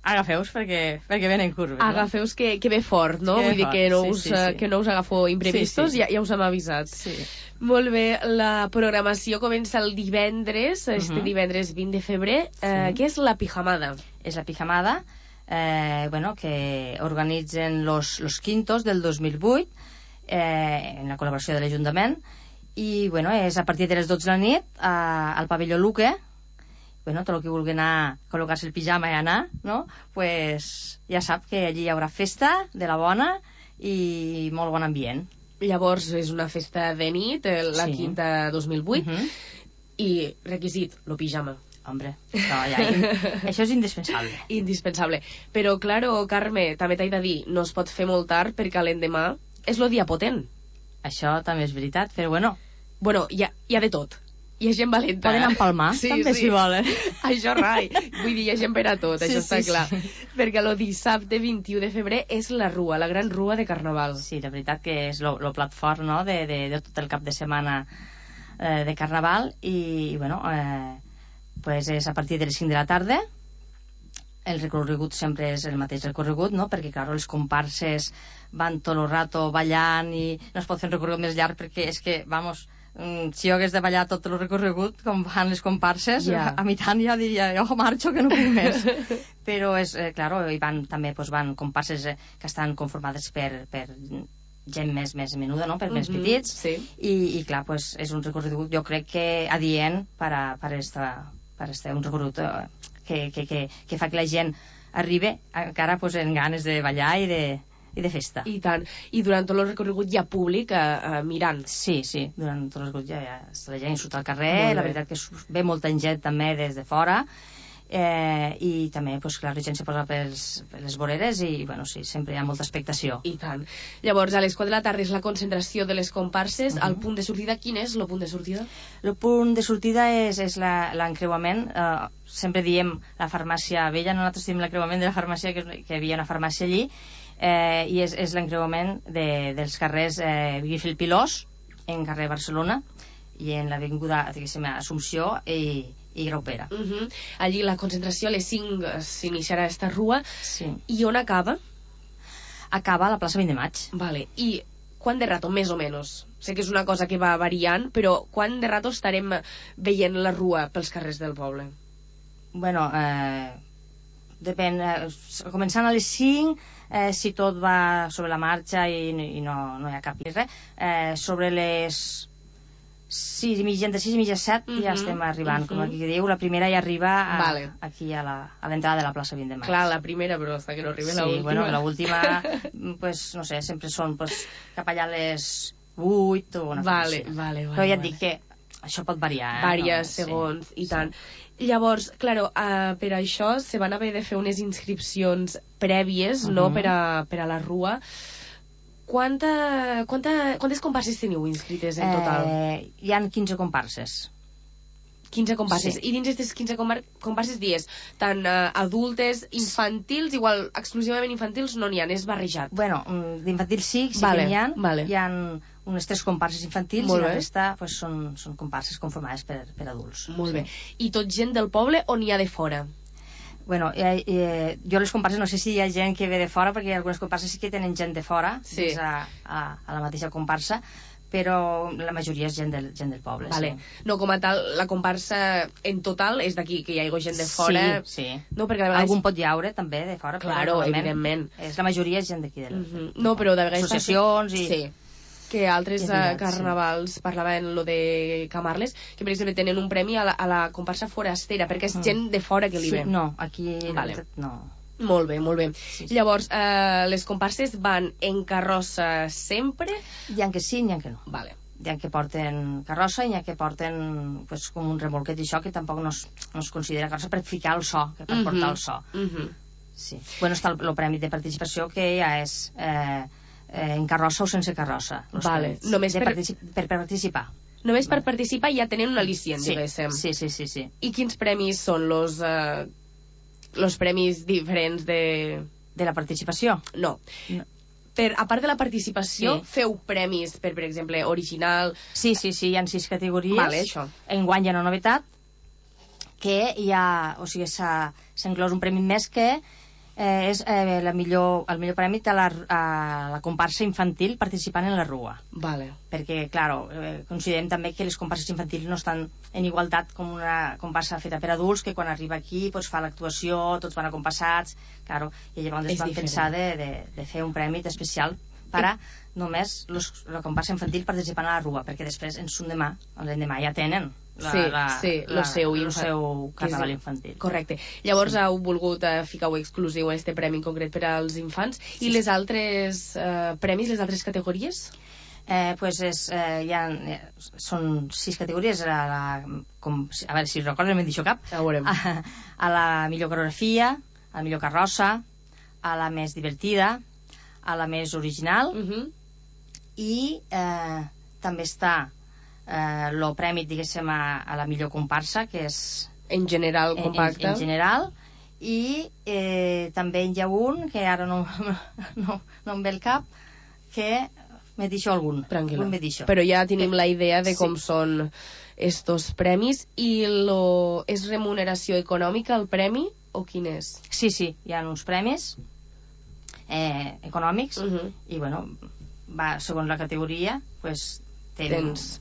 agafeus perquè, perquè venen curves. Agafeus que, que ve fort, no? Que ve Vull dir fort, que no, sí, us, sí, sí. que no us agafo imprevistos, Sí, sí. Ja, ja us hem avisat. Sí. Molt bé, la programació comença el divendres, este Mhm. divendres vint de febrer. Eh, Sí. Què és la pijamada? És la pijamada, eh, bueno, que organitzen los, los quintos del dos mil vuit, eh, en la col·laboració de l'Ajuntament, i bueno, és a partir de les dotze de la nit a, al pavelló Luque. Bueno, tot el que vulgui anar a col·locar-se el pijama i anar, no? Pues ja sap que allí hi haurà festa de la bona i molt bon ambient. Llavors és una festa de nit, eh, la Sí. quinta dos mil vuit, Mhm. i requisit, lo pijama. Hombre, no, ja, això és indispensable. Indispensable. Però, claro, Carme, també t'he de dir, no es pot fer molt tard perquè l'endemà és lo dia potent. Això també és veritat, però bueno... Bueno, hi ha, hi ha de tot. Hi ha gent valenta. Poden empalmar, sí, també, sí. si volen. Això rai. Vull dir, hi ha gent per a tot, Sí, això sí, està clar. sí. Perquè el dissabte vint-i-u de febrer és la rua, la gran rua de Carnaval. Sí, la veritat que és el plat fort, no?, de, de, de tot el cap de setmana eh, de Carnaval i, bueno, eh, pues és a partir de les cinc de la tarda. El recorregut sempre és el mateix recorregut, no?, perquè, clar, les comparses van tot el rato ballant i no es pot fer un recorregut més llarg perquè és que, vamos, mm, si jo hagués de ballar tot el recorregut com fan les comparses, Ja. a mi tant ja diria, jo marxo que no puc més. Però és, eh, claro, hi van, també pues, van comparses eh, que estan conformades per, per gent més, més menuda, no?, per més Mhm, petits, sí. i, i clar, pues, és un recorregut, jo crec que adient per a, per esta, per este, un recorregut eh, que, que, que, que fa que la gent arribi encara pues, en ganes de ballar i de, i de festa. I tant. I durant tot el recorregut hi ha públic eh, eh, mirant. Sí, sí, durant tot el recorregut ja, ja està la gent surt al Molt carrer, bé. la veritat que surt- ve molta gent també des de fora, eh, i també, pues, clar, la gent se posa pels, per les voreres i, bueno, sí, sempre hi ha molta expectació. I tant. Llavors, a les quatre de la tarda és la concentració de les comparses. Mhm. El punt de sortida, quin és el punt de sortida? El punt de sortida és, és la- l'encreuament. Eh, sempre diem la farmàcia vella, nosaltres diem l'encreuament de la farmàcia, que, que hi havia una farmàcia allí, eh, i és, és l'encreuament de, dels carrers eh, Guifil Pilós, en carrer Barcelona, i en l'avinguda, diguéssim, Assumpció i, i Graupera. Uh -huh. Allí la concentració a les cinc eh, s'iniciarà esta rua. Sí. I on acaba? Acaba a la plaça vint de maig. Vale. I quant de rato, més o menys? Sé que és una cosa que va variant, però quant de rato estarem veient la rua pels carrers del poble? Bueno, eh, depèn, eh, començant a les cinc, eh, si tot va sobre la marxa i, i no, no hi ha cap res, eh, sobre les sis i mitja, entre sis i mitja set, Mhm, ja estem arribant, mhm. com aquí diu, la primera ja arriba a, Vale. aquí a la- a l'entrada de la plaça vint de maig. Clar, la primera, però hasta que no arribi Sí, la última. bueno, la última, pues, no sé, sempre són pues, cap allà a les vuit o una cosa Vale, així. vale, vale. Però ja et vale. dic que això pot variar. Eh? Vàries No, segons, sí, i sí. tant. Llavors, claro, uh, per això se van haver de fer unes inscripcions prèvies, no?, Mhm. per a, per a la rua. Quanta, quanta, quantes comparses teniu inscrites en total? Eh, hi han quinze comparses. quinze comparses. sí. I dins d'aquestes quinze compar- comparses dies, tant uh, adultes, infantils, igual exclusivament infantils no n'hi ha, és barrejat. Bueno, mm, d'infantils sí, sí Vale, que n'hi ha. vale. Hi ha unes tres comparses infantils Molt i la bé. resta pues, són, són comparses conformades per, per adults. Molt bé. I tot gent del poble o n'hi ha de fora? Bueno, eh, eh, jo les comparses no sé si hi ha gent que ve de fora, perquè algunes comparses sí que tenen gent de fora, Sí. dins a, a, a la mateixa comparsa, però la majoria és gent del, gent del poble. Vale. Sí. No, com a tal, la comparsa en total és d'aquí, que hi ha gent de fora. Sí, sí. No, perquè de vegades... Algun pot llaure, també, de fora. Claro, però evidentment. És, la majoria és gent d'aquí. Del... Uh -huh. No, però de vegades... Associacions i... Sí. Que altres Entitat, uh, carnavals, sí. parlaven lo de Camarles, que per exemple tenen un premi a la, a la comparsa forastera, perquè és mm. gent de fora que li ve. Sí, no, aquí vale. no. Molt bé, molt bé. Sí, sí. Llavors, uh, les comparses van en carrossa sempre? Hi ha que sí, hi ha que no. Vale. Hi ha que porten carrossa i hi ha que porten pues, com un remolquet i això, que tampoc no es, no es considera carrossa per ficar el so, que per uh -huh. portar el so. Uh -huh. Sí. Bueno, està el, el premi de participació, que ja és eh, eh, en carrossa o sense carrossa. Vale. Només per... Partici per participar. Només per participar ja tenen un al·licient, sí. diguéssim. Sí, sí, sí, sí. I quins premis són los, uh, los premis diferents de... De la participació? No. no. Per, a part de la participació, sí. feu premis per, per exemple, original... Sí, sí, sí, hi ha sis categories. Vale, això. Enguany hi ha una novetat, que hi ha... O sigui, s'ha inclòs un premi més que eh, és eh, la millor, el millor premi de la, a la comparsa infantil participant en la rua. Vale. Perquè, clar, eh, considerem també que les comparses infantils no estan en igualtat com una comparsa feta per adults, que quan arriba aquí pues, fa l'actuació, tots van acompassats, claro, i llavors es van diferent. pensar de, de, de fer un premi especial per a només los, la comparsa infantil participant a la rua, perquè després en son demà, l'endemà ja tenen la, sí, la, sí, la, el seu, el seu carnaval infantil. Correcte. Llavors sí. heu volgut uh, ficar-ho exclusiu a este premi en concret per als infants. Sí. I les altres uh, premis, les altres categories? Eh, pues és, eh, hi ha, eh, són sis categories a, la, com, a veure si recordo, no m'he dit cap a, a, a la millor coreografia, a la millor carrossa, a la més divertida, a la més original, uh -huh. i eh, també està el eh, premi, diguéssim, a, a la millor comparsa, que és en general compacta, en, en, en general, i eh, també hi ha un que ara no, no, no em ve el cap, que m'he dit algun. Tranquil·la. Però ja tenim sí. la idea de com sí. són estos premis. I lo... és remuneració econòmica el premi o quin és? Sí, sí, hi ha uns premis eh, econòmics uh -huh. i bueno, va, segons la categoria pues, tens, tens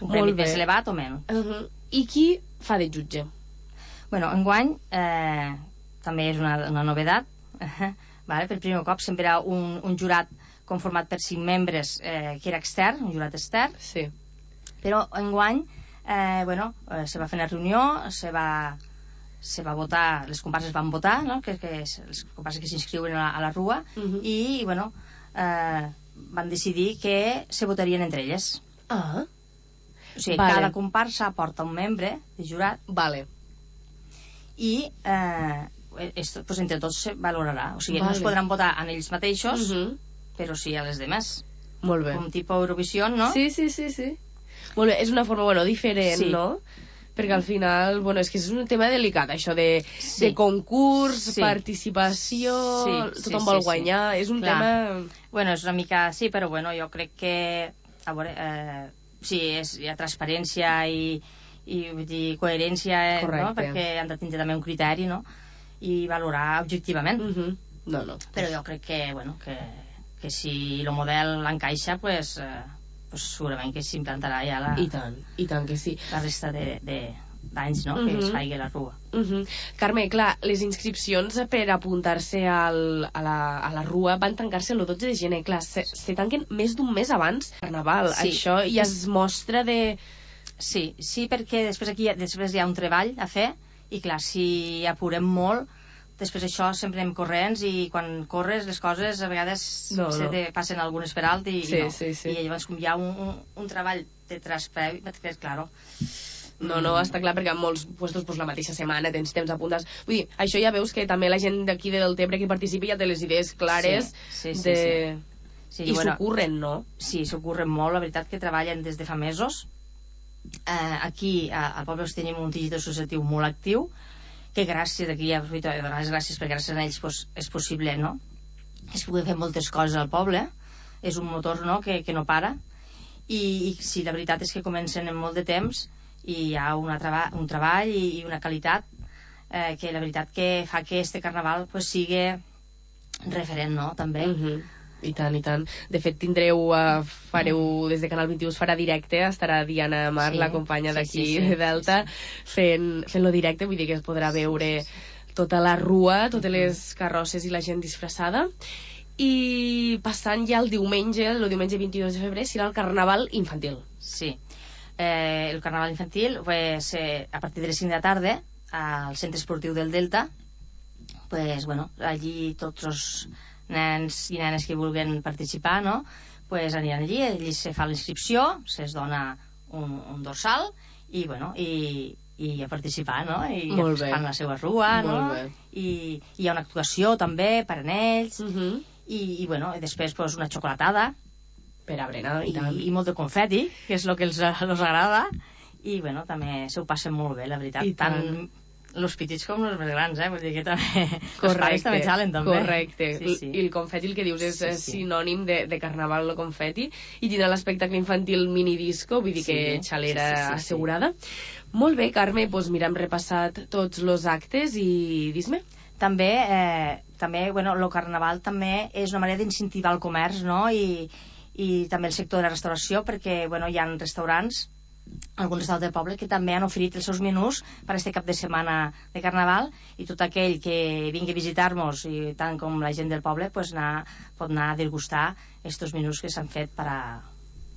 un premi més elevat o menys. Uh -huh. I qui fa de jutge? Bueno, enguany eh, també és una, una novedat uh, vale? Per primer cop sempre hi ha un, un jurat conformat per cinc membres eh, que era extern, un jurat extern, sí. Però enguany eh, bueno, eh, se va fer una reunió, se va, se va votar, les comparses van votar, no? que, que les comparses que s'inscriuen a, a la rua, uh -huh. i bueno, eh, van decidir que se votarien entre elles. Ah. O sigui, vale. cada comparsa aporta un membre de jurat, vale. i eh, esto, pues, entre tots se valorarà. O sigui, vale. no es podran votar en ells mateixos, uh -huh. però sí a les demés. Molt bé. Com tipus Eurovisió, no? Sí, sí, sí, sí. Molt bé, és una forma, bueno, diferent, sí. no? Perquè al final, bueno, és que és un tema delicat, això de, sí. de concurs, sí. participació, sí, sí, tothom sí, vol sí, guanyar, sí. és un Clar. tema... Bueno, és una mica... Sí, però bueno, jo crec que... A veure, eh, sí, és, hi ha transparència i, i vull dir, coherència, eh, no? Perquè han de tindre també un criteri, no? I valorar objectivament. Uh -huh. No, no. Però jo crec que, bueno, que, que si el model encaixa, pues... Eh, pues segurament que s'implantarà ja la... I tant, i tant que sí. La resta de... de d'anys, no? Uh -huh. Que es faigui la rua. Uh -huh. Carme, clar, les inscripcions per apuntar-se al, a, la, a la rua van tancar-se el dotze de gener, clar, se, se tanquen més d'un mes abans Carnaval, sí. Això ja es mostra de... Sí, sí, perquè després aquí després hi ha un treball a fer, i clar, si apurem molt, després això sempre anem corrents, i quan corres les coses a vegades no, se no. te passen algunes per alt i, sí, i no. Sí, sí. I llavors com hi ha un, un, un treball de trasprevi, que claro... No, no, està clar, perquè en molts puestos pues, la mateixa setmana tens temps apuntats. Vull dir, això ja veus que també la gent d'aquí de Deltebre que participa ja té les idees clares sí, sí, sí, de... sí. Sí, i bueno, s'ocorren, no? Sí, s'ocorren molt, la veritat que treballen des de fa mesos. Eh, aquí a, al poble tenim un teixit associatiu molt actiu, que gràcies, aquí ja aprofito de donar les gràcies perquè gràcies a ells pues, és possible, no? Es pugui fer moltes coses al poble, és un motor, no?, que, que no para, i, i sí, la veritat és que comencen en molt de temps i hi ha una treba un treball i, i una qualitat eh, que la veritat que fa que este carnaval pues, sigui referent, no?, també. Uh -huh. I tant, i tant. De fet, tindreu, uh, fareu, des de Canal vint-i-u es farà directe, estarà Diana Mar, sí, la companya d'aquí sí, sí, sí, de Delta, sí, sí. fent, fent-lo directe, vull dir que es podrà veure tota la rua, totes les carrosses i la gent disfressada. I passant ja el diumenge, el diumenge vint-i-dos de febrer, serà el Carnaval infantil. Sí, eh, el Carnaval infantil, pues, eh, a partir de les cinc de la tarda, al Centre Esportiu del Delta, pues, bueno, allí tots els nens i nenes que vulguen participar, no? Pues aniran allí, allí se fa l'inscripció, se'ls dona un, un dorsal i, bueno, i, i a participar, no? I Molt fan la seva rua, no? I, i hi ha una actuació també per a ells, uh -huh. i, i, bueno, i després pues, una xocolatada per a berenar i, i, i molt de confeti, que és el que els, els agrada, i, bueno, també se ho passen molt bé, la veritat. I tant. tant els petits com els més grans, eh? Vull dir que també... Els pares també xalen, també. Correcte. Sí, sí. I el confeti, el que dius, és sí, sí. sinònim de, de carnaval, el confeti, i tindrà l'espectacle infantil mini-disco, vull dir sí, que xalera sí, sí, sí, assegurada. Sí. Molt bé, Carme, doncs mira, hem repassat tots els actes i dis-me. També, eh, també, bueno, el carnaval també és una manera d'incentivar el comerç, no? I, i també el sector de la restauració, perquè, bueno, hi ha restaurants, alguns restaurants del poble, que també han oferit els seus menús per aquest cap de setmana de Carnaval, i tot aquell que vingui a visitar-nos, i tant com la gent del poble, pues anar, pot anar a degustar aquests menús que s'han fet per a,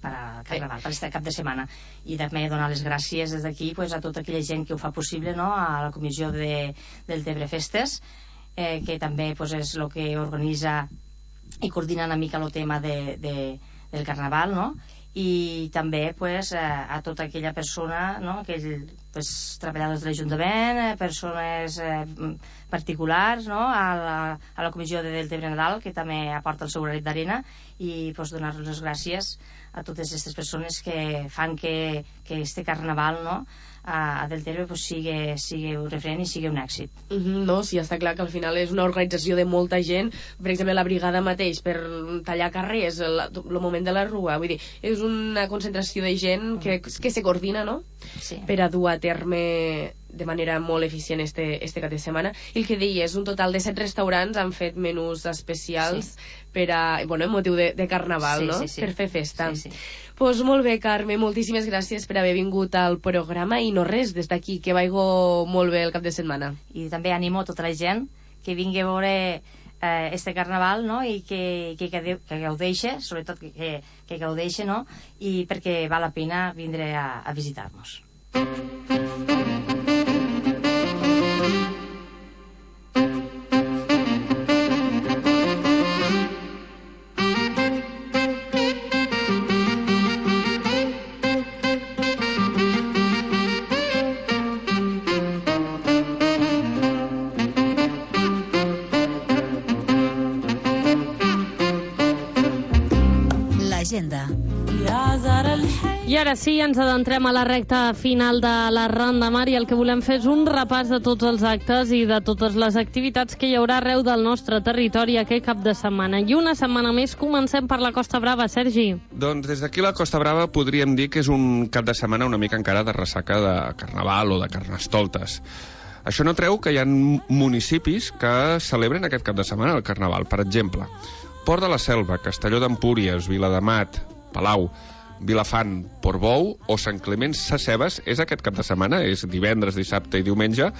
per a Carnaval, per aquest cap de setmana. I també donar les gràcies des d'aquí pues, a tota aquella gent que ho fa possible, no? A la comissió de, del Tebre Festes, eh, que també pues, és el que organitza i coordina una mica el tema de, de, del Carnaval, no? I també pues, a tota aquella persona, no? Aquell, pues, treballadors de l'Ajuntament, persones eh, particulars, no? a, la, a la comissió de Deltebre Nadal, que també aporta el seu granet d'arena, i pues, donar-los les gràcies a totes aquestes persones que fan que, que este Carnaval, no? a, a Deltebre pues, sigui, sigui un referent i sigui un èxit. Uh -huh, no, sí, està clar que al final és una organització de molta gent. Per exemple, la brigada mateix per tallar carrers, el, el moment de la rua, vull dir, és una concentració de gent que, que se coordina, no? Sí. Per a dur a terme de manera molt eficient este, este cap de setmana. I el que deies, un total de set restaurants han fet menús especials sí. per a, bueno, en motiu de, de Carnaval, sí, no? Sí, sí. Per fer festa. Sí, sí. Pues molt bé, Carme, moltíssimes gràcies per haver vingut al programa, i no res, des d'aquí, que vaigo molt bé el cap de setmana. I també animo tota la gent que vingui a veure eh, este Carnaval, no? I que, que, que, que gaudeixe, sobretot que, que, que gaudeixe, no? I perquè val la pena vindre a, a visitar-nos. L'agenda. I ara sí, ens adentrem a la recta final de la Ronda Mar, i el que volem fer és un repàs de tots els actes i de totes les activitats que hi haurà arreu del nostre territori aquest cap de setmana. I una setmana més comencem per la Costa Brava, Sergi. Doncs des d'aquí la Costa Brava podríem dir que és un cap de setmana una mica encara de ressaca de Carnaval o de Carnestoltes. Això no treu que hi ha municipis que celebren aquest cap de setmana el Carnaval. Per exemple, Port de la Selva, Castelló d'Empúries, Viladamat, Palau, Vilafant, Portbou o Sant Climent Sescebes és aquest cap de setmana, és divendres, dissabte i diumenge,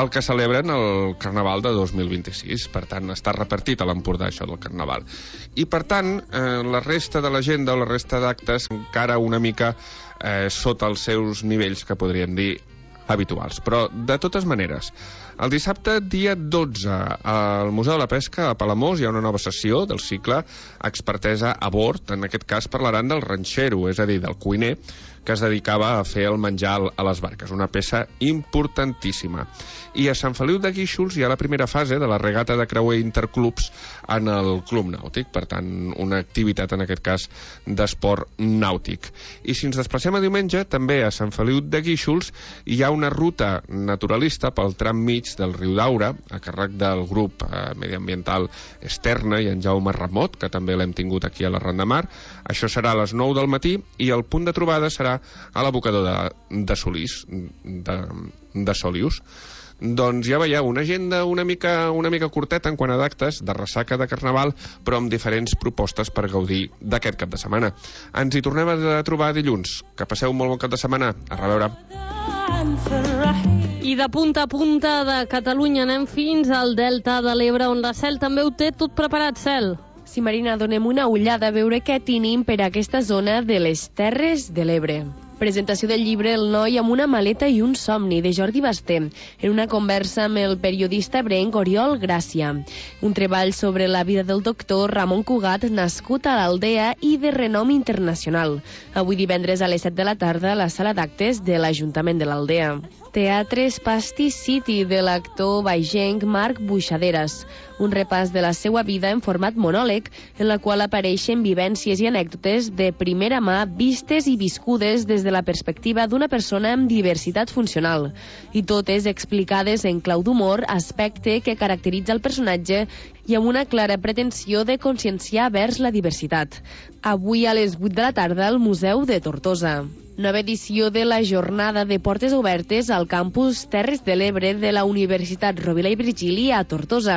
el que celebren el Carnaval de dos mil vint-i-sis. Per tant, està repartit a l'Empordà això del Carnaval. I per tant, eh, la resta de l'agenda o la resta d'actes encara una mica eh, sota els seus nivells, que podríem dir habituals. Però, de totes maneres, el dissabte, dia dotze, al Museu de la Pesca, a Palamós, hi ha una nova sessió del cicle Expertesa a bord. En aquest cas parlaran del ranxero, és a dir, del cuiner, que es dedicava a fer el menjar a les barques, una peça importantíssima. I a Sant Feliu de Guíxols hi ha la primera fase de la regata de creuer interclubs en el Club Nàutic, per tant, una activitat, en aquest cas, d'esport nàutic. I si ens desplacem a diumenge, també a Sant Feliu de Guíxols hi ha una ruta naturalista pel tram mig del riu Daura, a càrrec del grup eh, mediambiental Esterna i en Jaume Ramot, que també l'hem tingut aquí a la Ronda Mar. Això serà a les nou del matí i el punt de trobada serà a l'abocador de, de Solís, de, de Solius. Doncs ja veieu, una agenda una mica, una mica curteta en quant a d'actes de ressaca de Carnaval, però amb diferents propostes per gaudir d'aquest cap de setmana. Ens hi tornem a trobar dilluns. Que passeu un molt bon cap de setmana. A reveure. I de punta a punta de Catalunya anem fins al Delta de l'Ebre, on la Cel també ho té tot preparat, Cel. Sí, Marina, donem una ullada a veure què tenim per aquesta zona de les Terres de l'Ebre. Presentació del llibre El noi amb una maleta i un somni, de Jordi Basté, en una conversa amb el periodista ebrenc Oriol Gràcia. Un treball sobre la vida del doctor Ramon Cugat, nascut a l'Aldea i de renom internacional. Avui divendres a les set de la tarda a la sala d'actes de l'Ajuntament de l'Aldea. Teatre Spasti City, de l'actor baixenc Marc Buixaderes. Un repàs de la seva vida en format monòleg, en la qual apareixen vivències i anècdotes de primera mà vistes i viscudes des de la perspectiva d'una persona amb diversitat funcional, i totes explicades en clau d'humor, aspecte que caracteritza el personatge i amb una clara pretensió de conscienciar vers la diversitat. Avui a les vuit de la tarda al Museu de Tortosa. Nova edició de la jornada de portes obertes al campus Terres de l'Ebre de la Universitat Rovira i Virgili a Tortosa,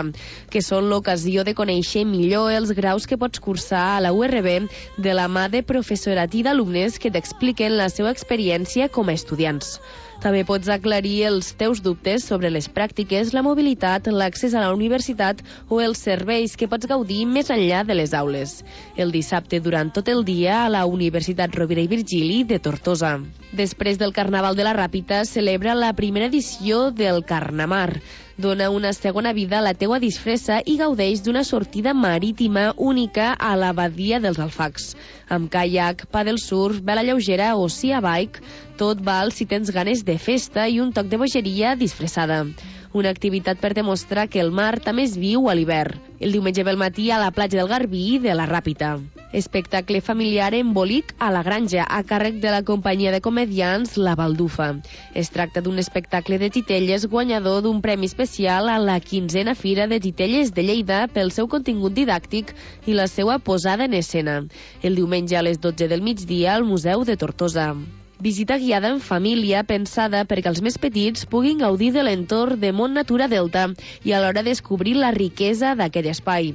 que són l'ocasió de conèixer millor els graus que pots cursar a la U R B de la mà de professorat i d'alumnes que t'expliquen la seva experiència com a estudiants. També pots aclarir els teus dubtes sobre les pràctiques, la mobilitat, l'accés a la universitat o els serveis que pots gaudir més enllà de les aules. El dissabte, durant tot el dia, a la Universitat Rovira i Virgili de Tortosa. Després del Carnaval de la Ràpita, celebra la primera edició del Carnamar. Dona una segona vida a la teua disfressa i gaudeix d'una sortida marítima única a la badia dels Alfacs. Amb caiac, pàdel surf, vela lleugera o sea bike, tot val si tens ganes de festa i un toc de bogeria disfressada. Una activitat per demostrar que el mar també es viu a l'hivern. El diumenge pel matí a la platja del Garbí de la Ràpita. Espectacle familiar embolic a la granja, a càrrec de la companyia de comediants La Baldufa. Es tracta d'un espectacle de titelles guanyador d'un premi especial a la quinzena Fira de Titelles de Lleida pel seu contingut didàctic i la seva posada en escena. El diumenge a les dotze del migdia al Museu de Tortosa. Visita guiada en família pensada perquè els més petits puguin gaudir de l'entorn de Mont Natura Delta i alhora descobrir la riquesa d'aquest espai.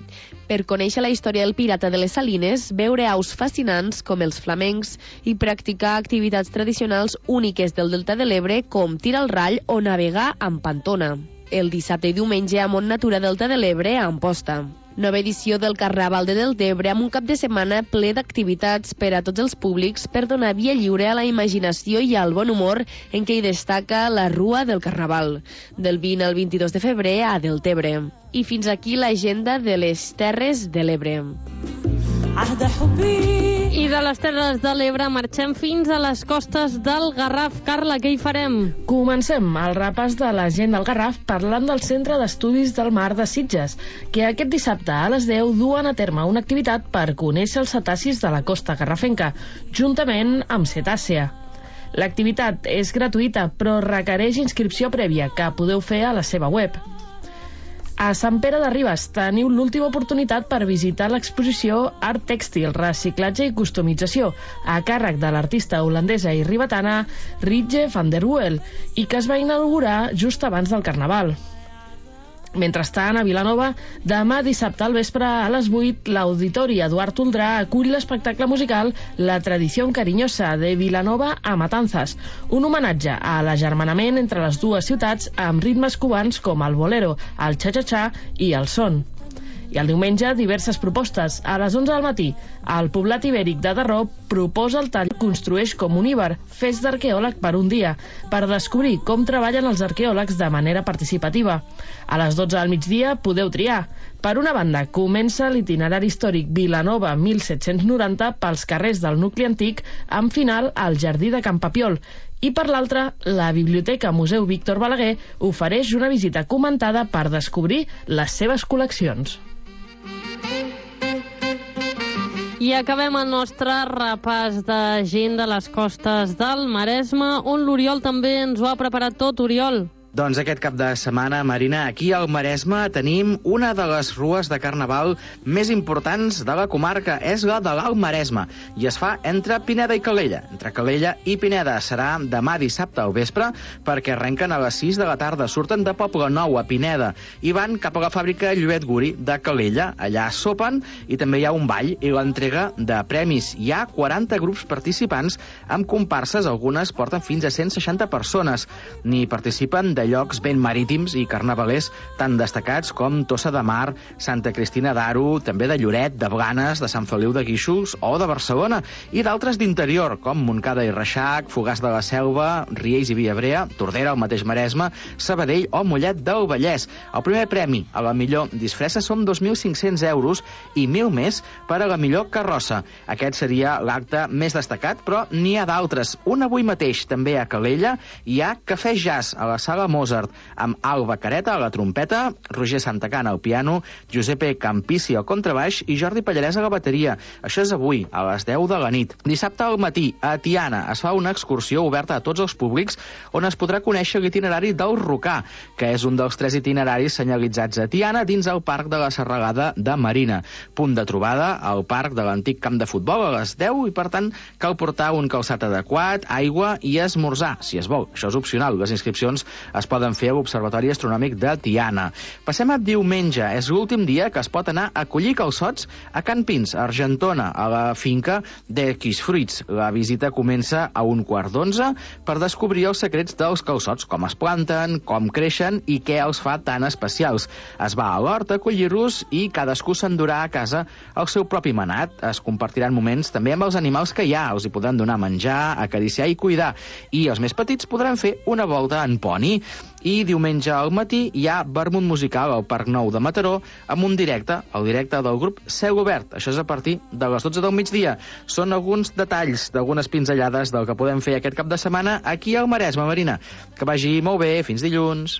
Per conèixer la història del pirata de les Salines, veure aus fascinants com els flamencs i practicar activitats tradicionals úniques del Delta de l'Ebre com tirar al rall o navegar amb pantona. El dissabte i diumenge a Mont Natura Delta de l'Ebre a Amposta. Nova edició del Carnaval de Deltebre amb un cap de setmana ple d'activitats per a tots els públics per donar via lliure a la imaginació i al bon humor en què hi destaca la Rua del Carnaval, del vint al vint-i-dos de febrer a Deltebre. I fins aquí l'agenda de les Terres de l'Ebre. I de les Terres de l'Ebre marxem fins a les costes del Garraf. Carla, què hi farem? Comencem el repàs de la gent del Garraf parlant del Centre d'Estudis del Mar de Sitges, que aquest dissabte a les deu duen a terme una activitat per conèixer els cetacis de la costa garrafenca, juntament amb Cetàcea. L'activitat és gratuïta, però requereix inscripció prèvia, que podeu fer a la seva web. A Sant Pere de Ribes teniu l'última oportunitat per visitar l'exposició Art Tèxtil, Reciclatge i Customització, a càrrec de l'artista holandesa i ribetana Ritje van der Wel, i que es va inaugurar just abans del Carnaval. Mentrestant, a Vilanova, demà dissabte al vespre a les vuit, l'Auditori Eduard Toldrà acull l'espectacle musical La Tradició Cariñosa de Vilanova a Matanzas, un homenatge a l'agermanament entre les dues ciutats amb ritmes cubans com el bolero, el cha-cha-cha i el son. I el diumenge, diverses propostes. A les onze del matí, el poblat ibèric de Darró proposa el tall Construeix com un íber, fes d'arqueòleg per un dia, per descobrir com treballen els arqueòlegs de manera participativa. A les dotze del migdia podeu triar. Per una banda, comença l'itinerari històric Vilanova mil set-cents noranta pels carrers del nucli antic, amb final al Jardí de Can Papiol. I per l'altra, la Biblioteca Museu Víctor Balaguer ofereix una visita comentada per descobrir les seves col·leccions. I acabem el nostre repàs de gent de les costes del Maresme, on l'Oriol també ens ho ha preparat tot. Oriol. Doncs aquest cap de setmana, Marina, aquí al Maresme tenim una de les rues de Carnaval més importants de la comarca. És la de l'Alt Maresme i es fa entre Pineda i Calella. Entre Calella i Pineda serà demà dissabte al vespre perquè arrenquen a les sis de la tarda. Surten de Poble Nou a Pineda i van cap a la fàbrica Lluet Guri de Calella. Allà sopen i també hi ha un ball i l'entrega de premis. Hi ha quaranta grups participants amb comparses, algunes porten fins a cent seixanta persones. N'hi participen de de llocs ben marítims i carnavalers tan destacats com Tossa de Mar, Santa Cristina d'Aro, també de Lloret, de Blanes, de Sant Feliu de Guíxols o de Barcelona, i d'altres d'interior, com Montcada i Reixac, Fogars de la Selva, Riells i Viabrea, Tordera, el mateix Maresme, Sabadell o Mollet del Vallès. El primer premi a la millor disfressa són dos mil cinc-cents euros i mil més per a la millor carrossa. Aquest seria l'acte més destacat, però n'hi ha d'altres. Un avui mateix, també a Calella, hi ha Cafè Jazz a la Sala Mozart, amb Alba Careta a la trompeta, Roger Santacana al piano, Giuseppe Campissi al contrabaix i Jordi Pallarès a la bateria. Això és avui, a les deu de la nit. Dissabte al matí, a Tiana, es fa una excursió oberta a tots els públics on es podrà conèixer l'itinerari del Rocà, que és un dels tres itineraris senyalitzats a Tiana dins el Parc de la Serralada de Marina. Punt de trobada al parc de l'antic camp de futbol a les deu i, per tant, cal portar un calçat adequat, aigua i esmorzar, si es vol. Això és opcional. Les inscripcions es poden fer a l'Observatori Astronòmic de Tiana. Passem a diumenge. És l'últim dia que es pot anar a collir calçots a Can Pins, a Argentona, a la finca d'X Fruits. La visita comença a un quart d'onze per descobrir els secrets dels calçots, com es planten, com creixen i què els fa tan especials. Es va a l'hort a collir-los i cadascú s'endurà a casa el seu propi manat. Es compartiran moments també amb els animals que hi ha. Els hi podran donar menjar, acariciar i cuidar. I els més petits podran fer una volta en poni. I diumenge al matí hi ha vermut musical al Parc Nou de Mataró amb un directe, el directe del grup Cel Obert. Això és a partir de les dotze del migdia. Són alguns detalls d'algunes pinzellades del que podem fer aquest cap de setmana aquí al Maresme, Marina. Que vagi molt bé. Fins dilluns.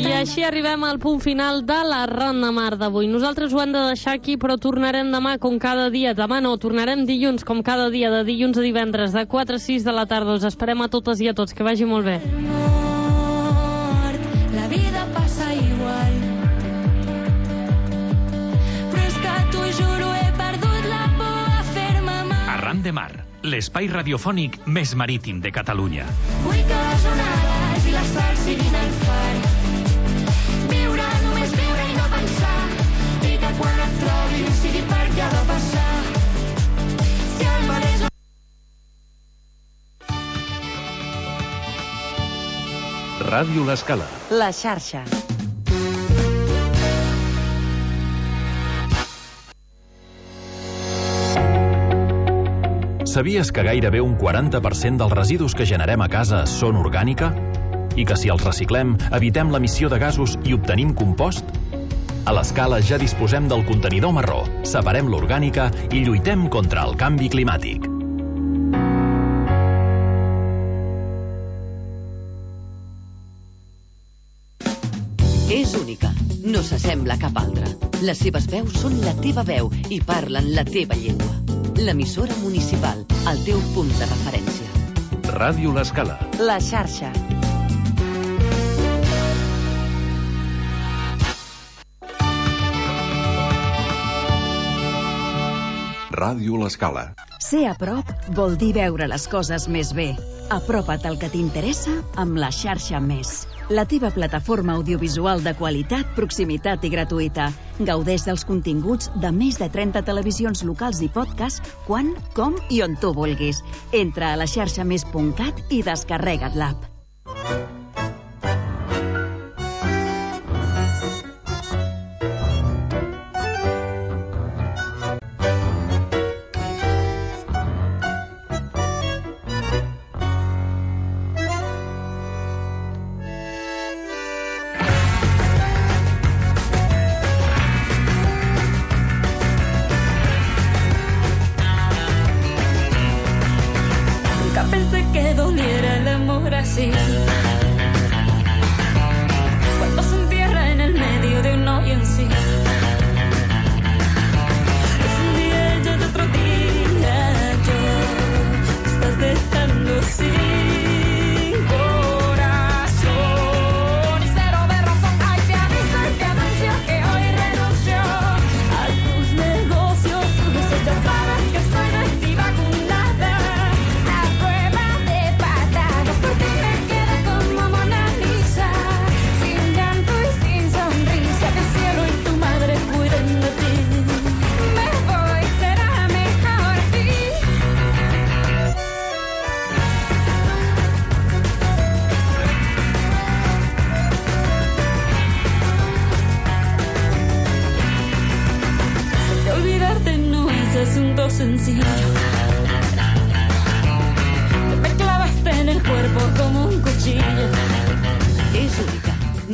I així arribem al punt final de la Ronda Mar d'avui. Nosaltres ho hem de deixar aquí, però tornarem demà com cada dia. Demà no, tornarem dilluns com cada dia, de dilluns a divendres, de quatre a sis de la tarda. Us esperem a totes i a tots. Que vagi molt bé. La vida passa igual, però és que t'ho juro, he perdut la por a fer-me mal. Arran de Mar, l'espai radiofònic més marítim de Catalunya. Vull que les onades i les sals siguin el far. Viure, només viure i no pensar. I que quan et trobi sigui perquè ha de passar. Si el mar és... Ràdio L'Escala. La xarxa. Sabies que gairebé un quaranta per cent dels residus que generem a casa són orgànica? I que si els reciclem, evitem l'emissió de gasos i obtenim compost? A l'Escala ja disposem del contenidor marró, separem l'orgànica i lluitem contra el canvi climàtic. És única, no s'assembla a cap altra. Les seves veus són la teva veu i parlen la teva llengua. L'emissora municipal, el teu punt de referència. Ràdio L'Escala. La xarxa. Ràdio L'Escala. Ser a prop vol dir veure les coses més bé. Apropa't al que t'interessa amb la xarxa Més. La teva plataforma audiovisual de qualitat, proximitat i gratuïta. Gaudeix dels continguts de més de trenta televisions locals i podcast quan, com i on tu vulguis. Entra a la xarxa més punt cat i descarrega't l'app. Pensé que doliera el amor así.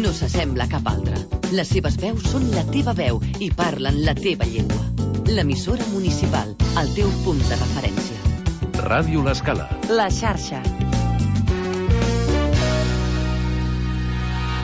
no s'assembla a cap altra. Les seves veus són la teva veu i parlen la teva llengua. L'emissora municipal, el teu punt de referència. Ràdio L'Escala. La xarxa.